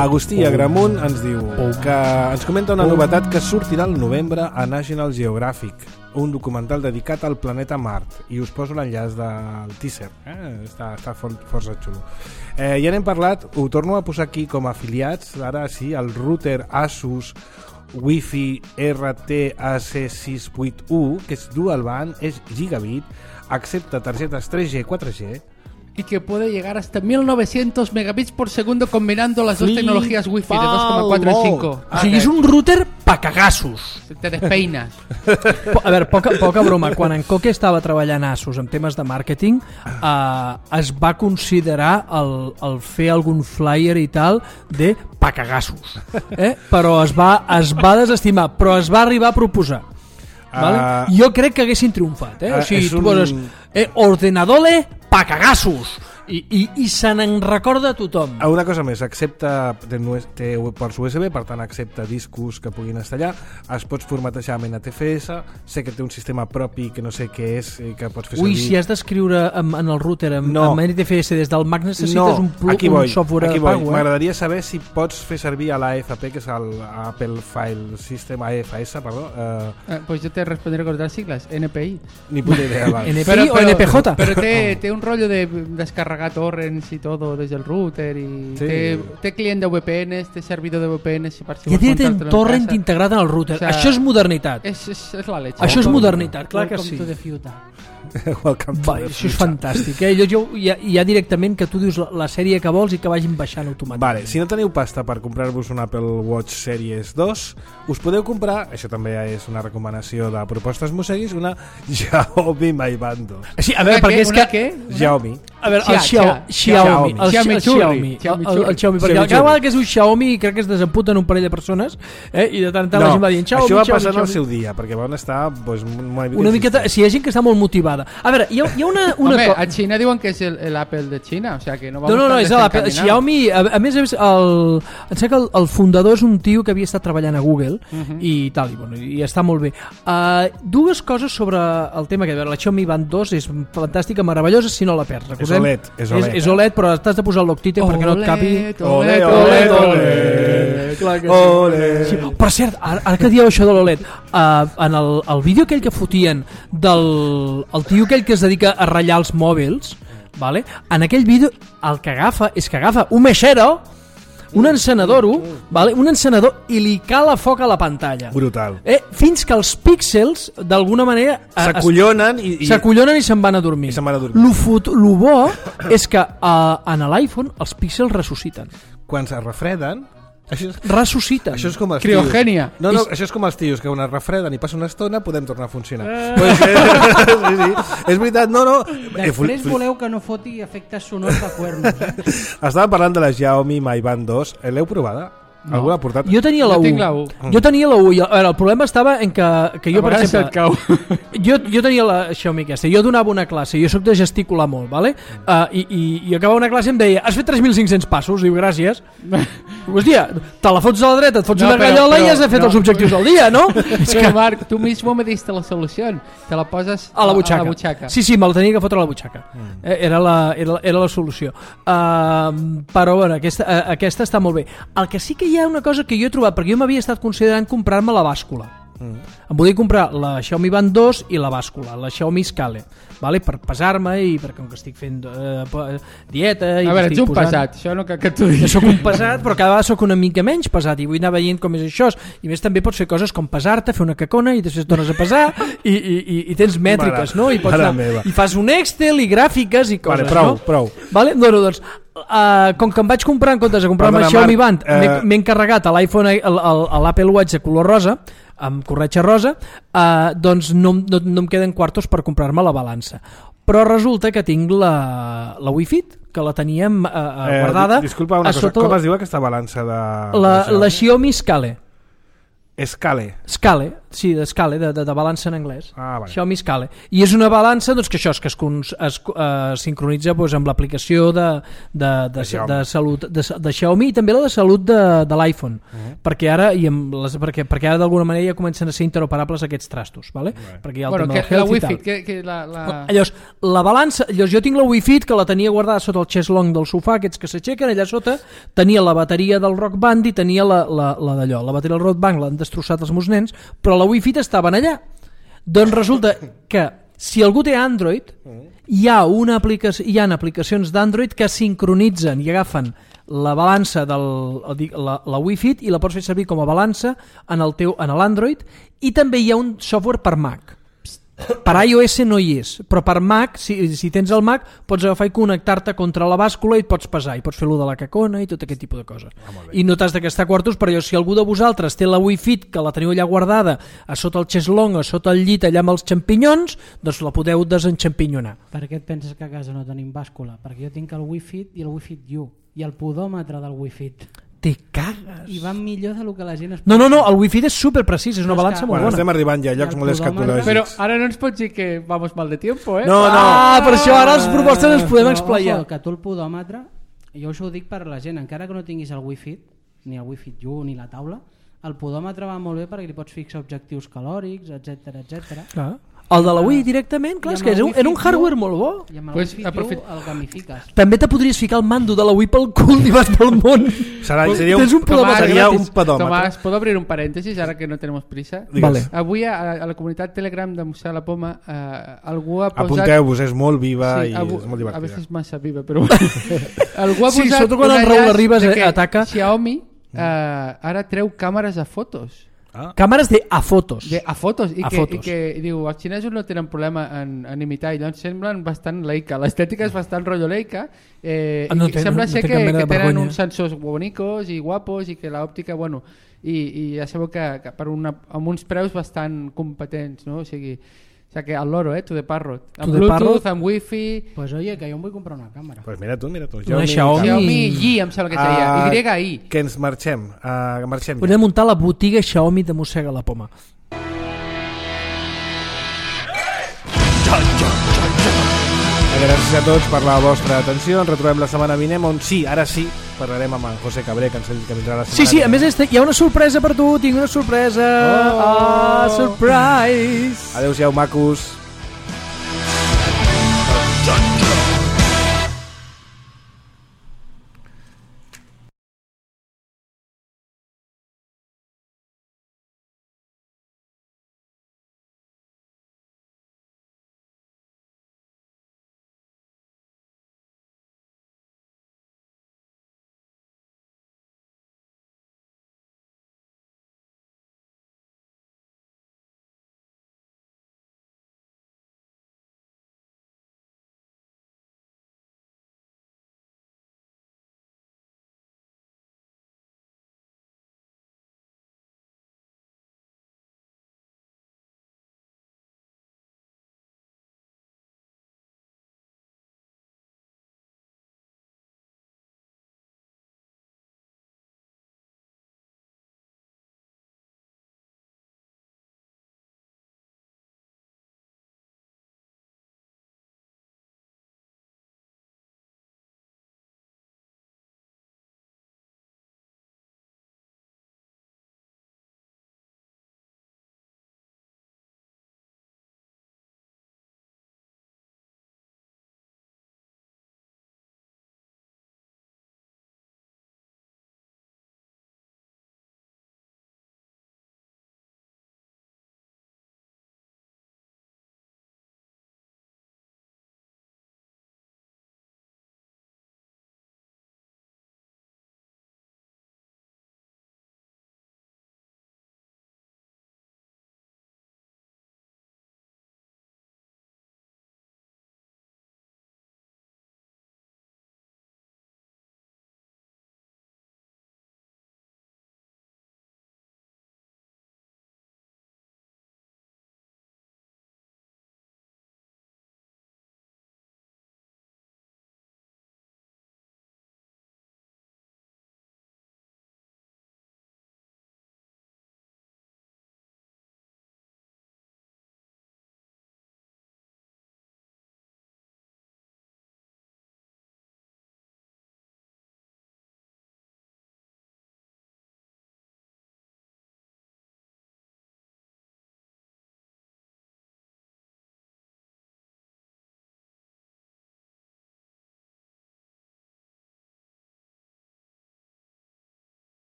Agustí Agramunt ens diu que ens comenta una novetat que sortirà al novembre a National Geographic, un documental dedicat al planeta Mart, i us poso l'enllaç del teaser, eh? està, està for, força xulo. Eh, ja n'hem parlat, ho torno a posar aquí com a afiliats, ara sí, el router Asus Wi-Fi R T A C sis vuit u, que és dual band, és gigabit, accepta tarjetes tres G, quatre G, y que puede llegar hasta mil novecientos megabits por segundo combinando las dos tecnologías Wi-Fi de dos coma cuatro y cinco. O sigui, és un router pa cagassos. Te despeinas. Po- A veure, poca, poca broma. Quan en Coque estava treballant a Asus en temes de màrqueting, eh, es va considerar el, el fer algun flyer i tal de pa cagassos. Eh? Però es va, es va desestimar, però es va arribar a proposar. Vale? Uh, Jo crec que haguessin triomfat. Eh? uh, O sigui, és tu un- poses eh, ordenadole pa cagassos i, i, i se n'en recorda tothom. una cosa més, accepta té, té ports U S B, per tant accepta discos que puguin estar allà, es pots formatejar amb N T F S, sé que té un sistema propi que no sé què és i que pots fer Ui, servir. si has d'escriure en, en el router amb, No. amb N T F S des del Mac necessites no, un, plu, aquí un voy, software aquí de voy. pago. Eh? M'agradaria saber si pots fer servir a l'A F P, que és el Apple File System, A F S, perdó. Eh, Eh, pues yo te responderé con las siglas, N P I. ni puta idea. Vale. N P I o N P J. Pero te, te un rollo de descargar torrents y todo desde el router y Sí. te, te client de V P Ns, te servidor de V P Ns per si I a vols dir en muntar-te-lo en torrent casa. integrat en el router. O sea, Això és modernitat. És, és, és la leche. Això és Welcome. modernitat, clar que Welcome sí. to the future. Welcome to Va, the això és future. fantàstic. Eh? Jo, jo, hi, ha, hi ha directament que tu dius la, la sèrie que vols i que vagin baixant automàticament. Vale, si no teniu pasta per comprar-vos un Apple Watch Series dos, us podeu comprar, això també és una recomanació de propostes mosseguis, una Xiaomi Mi Band dos. Sí, a veure, Una perquè què? és Una que... què? Xiaomi. A veure, el Xia, Xiao- xia. Xiaomi, el, Xiaomi el xurri. Xiaomi, Xiaomi el, el Xiaomi, perquè Xiaomi cada vegada que es diu Xiaomi crec que es desemputen un parell de persones, eh? I de tant en tant la gent va dient Xiaomi, això va Xiaomi, passar en el Xiaomi. seu dia, perquè van estar pues, una mica... Una miqueta, insistents. si hi ha gent que està molt motivada. A veure, hi ha, hi ha una... una Hombre, co- a China diuen que és el, el Apple de China, o sea que no vamos No, no, no, tan és l'Apple. desencaminados. Xiaomi, a, a més, és el, em sembla que el, el fundador és un tio que havia estat treballant a Google uh-huh. i tal, i, bueno, i està molt bé. Uh, dues coses sobre el tema que, a veure, la Xiaomi Band dos és fantàstica, meravellosa, si no la perds, recordem? És O L E D, és O L E D. És, és O L E D, però t'has de posar el loctite perquè no et capi... Ole, Ole, ole, ole, ole. Clar que sí. Ole. Sí, per cert, ara, ara que dieu això de l'O L E D, uh, en el, el vídeo aquell que fotien del el tio aquell que es dedica a ratllar els mòbils, vale? En aquell vídeo el que agafa és que agafa un meixero, un encenedor, vale? Un encenedor i li cala foc a la pantalla. Brutal. Eh, fins que els píxels, d'alguna manera... S'acollonen i... i... S'acollonen i se'n van a dormir. I se'n van a dormir. Lo, fot... Lo bo és que uh, en l'iPhone els píxels ressusciten. Quan es refreden... Això és, ressusciten. això és com els Criogènia. tios. No, no, això és com els tios, que quan es refreden i passa una estona podem tornar a funcionar. Eh. Pues, eh, sí, sí. És veritat, no, no. Després voleu que no foti efectes sonors de cuernos. Eh? Estàvem parlant de la Xiaomi Mi Band dos. L'heu provada? No. Algú l'ha portat? Jo tenia la jo U. tinc la U. Jo tenia la U. I, a veure, el problema estava en que, que jo, a per exemple... cau. Jo, jo tenia la Xiaomi aquesta. Jo donava una classe. Jo soc de gesticular molt, vale? Uh, i, i, I acabava una classe i em deia has fet tres mil cinc-cents passos? Diu, gràcies. Hòstia, te la fots a la dreta, et fots no, una gallola però, i has de fer no. els objectius del dia, no? És que... que... Marc, tu mismo me diste la solució. Te la poses a la butxaca. A la butxaca. Sí, sí, me la tenia que fotre a la butxaca. Mm. Era, la, era, era la solució. Uh, però, bueno, aquesta, uh, aquesta està molt bé. El que sí que hi ha una cosa que jo he trobat, perquè jo m'havia estat considerant comprar-me la bàscula. Mm. Em volia comprar la Xiaomi Band dos i la bàscula, la Xiaomi Scale, vale? Per pesar-me i perquè com que estic fent uh, dieta i a veure, ets un posant... pesat, això no cal que t'ho diguis. Jo soc un pesat, però cada vegada soc una mica menys pesat i vull anar veient com és això. I més també pots fer coses com pesar-te, fer una cacona i després tornes a pesar i, i, i, i tens mètriques, no? I, pots anar, i fas un Excel i gràfiques i coses, vale, prou, no? Prou. Vale? No, no, doncs Uh, com que em vaig comprar en comptes de comprar-me el Xiaomi Band, uh... m'he encarregat a l'iPhone, a l'Apple Watch de color rosa, amb corretja rosa, uh, doncs no, no, no em queden quartos per comprar-me la balança. Però resulta que tinc la, la Wi-Fi, que la teníem uh, eh, guardada. Disculpa una cosa, sota... com es diu aquesta balança de... La, de la Xiaomi Scale. Scale. Scale, sí, de Scale, de, de, de balança en anglès. Ah, vale. Xiaomi Scale. I és una balança doncs, que això és que es, es, es uh, sincronitza doncs, amb l'aplicació de, de, de, de, de, salut de, de Xiaomi i també la de salut de, de l'iPhone. Uh-huh. Perquè ara i amb les, perquè, perquè ara d'alguna manera ja comencen a ser interoperables aquests trastos. Vale? Uh-huh. Perquè hi ha el bueno, tema que, del la health Wi-Fi, i tal. que, que la, la... Llavors, la balança, llavors, jo tinc la Wi-Fi que la tenia guardada sota el chest long del sofà, aquests que s'aixequen, allà sota tenia la bateria del Rock Band i tenia la, la, la d'allò. La bateria del Rock Band l'han destrossat els meus nens, però la Wi-Fi estaven allà. Doncs resulta que si algú té Android, hi ha una aplicació, hi ha aplicacions d'Android que sincronitzen i agafen la balança del la, la Wi-Fi i la pots fer servir com a balança en el teu en l'Android, i també hi ha un software per Mac. Per iOS no hi és, però per Mac, si, si tens el Mac, pots agafar i connectar-te contra la bàscula i et pots pesar, i pots fer-lo de la cacona i tot aquest tipus de coses. Ah, i no t'has de gastar quartos, però si algú de vosaltres té la Wi-Fi que la teniu allà guardada a sota el xeslong, a sota el llit, allà amb els xampinyons, doncs la podeu desenxampinyonar. Per què et penses que a casa no tenim bàscula? Perquè jo tinc el Wi-Fi i el Wi-Fi U i el podòmetre del Wi-Fi. Te cagues. I van millor del que la gent es... No, no, no, el Wi-Fi és super precís, és una balança molt bueno, bona. Estem arribant ja a llocs molt escatològics. Però ara no ens pots dir que vamos mal de tiempo, eh? No, no. Ah, per això ara les propostes ens podem explayar. Ojo, que tu el podòmetre, jo això ho dic per la gent, encara que no tinguis el Wi-Fi, ni el Wi-Fi U, ni la taula, el podòmetre va molt bé perquè li pots fixar objectius calòrics, etcètera, etcètera. Clar. El de la Wii directament, clar, és que era un hardware molt bo. I amb el pues, Wi-Fi aprofit... el gamifiques. També te podries ficar el mando de la Wii pel cul i vas pel món. Serà, seria un, un Tomàs, seria un pedòmetre. Tomàs, ¿puedo abrir un paréntesis ara que no tenemos prisa? Vale. Avui a, a la comunitat Telegram de Museu de la Poma eh, algú ha posat... Apunteu-vos, és molt viva sí, i avui, és molt divertida. A vegades és massa viva, però... algú ha posat sí, sobretot quan el Raül Arribas ataca... Xiaomi eh, ara treu càmeres a fotos. Ah. Càmeres de a fotos. De, a fotos. I, a que, fotos. I que i diu, els xinesos no tenen problema en, en imitar, i doncs semblen bastant Leica. L'estètica és bastant rotllo Leica. Eh, ah, no i ten, sembla no ser té que, que que tenen vergonya. uns sensors bonicos i guapos i que l'òptica, bueno, i, i ja sabeu que, que per una, amb uns preus bastant competents, no? O sigui, o sea que al loro, eh, to the parrot. Amb Bluetooth, amb Wi-Fi... Pues oye, que jo em vull comprar una càmera. Pues mira tu, mira tu. Una Xiaomi. Xiaomi Y, em sembla que seria. Uh, Y I. Que ens marxem. Uh, marxem Podem muntar la botiga Xiaomi de Mossega la Poma. Gràcies a tots per la vostra atenció. Ens retrobem la setmana vinent, on sí, ara sí, parlarem amb en José Cabré, que ens que vindrà la setmana. Sí, sí, a més hi ha una sorpresa per tu, tinc una sorpresa. Oh, oh surprise. Adéu-siau, macos.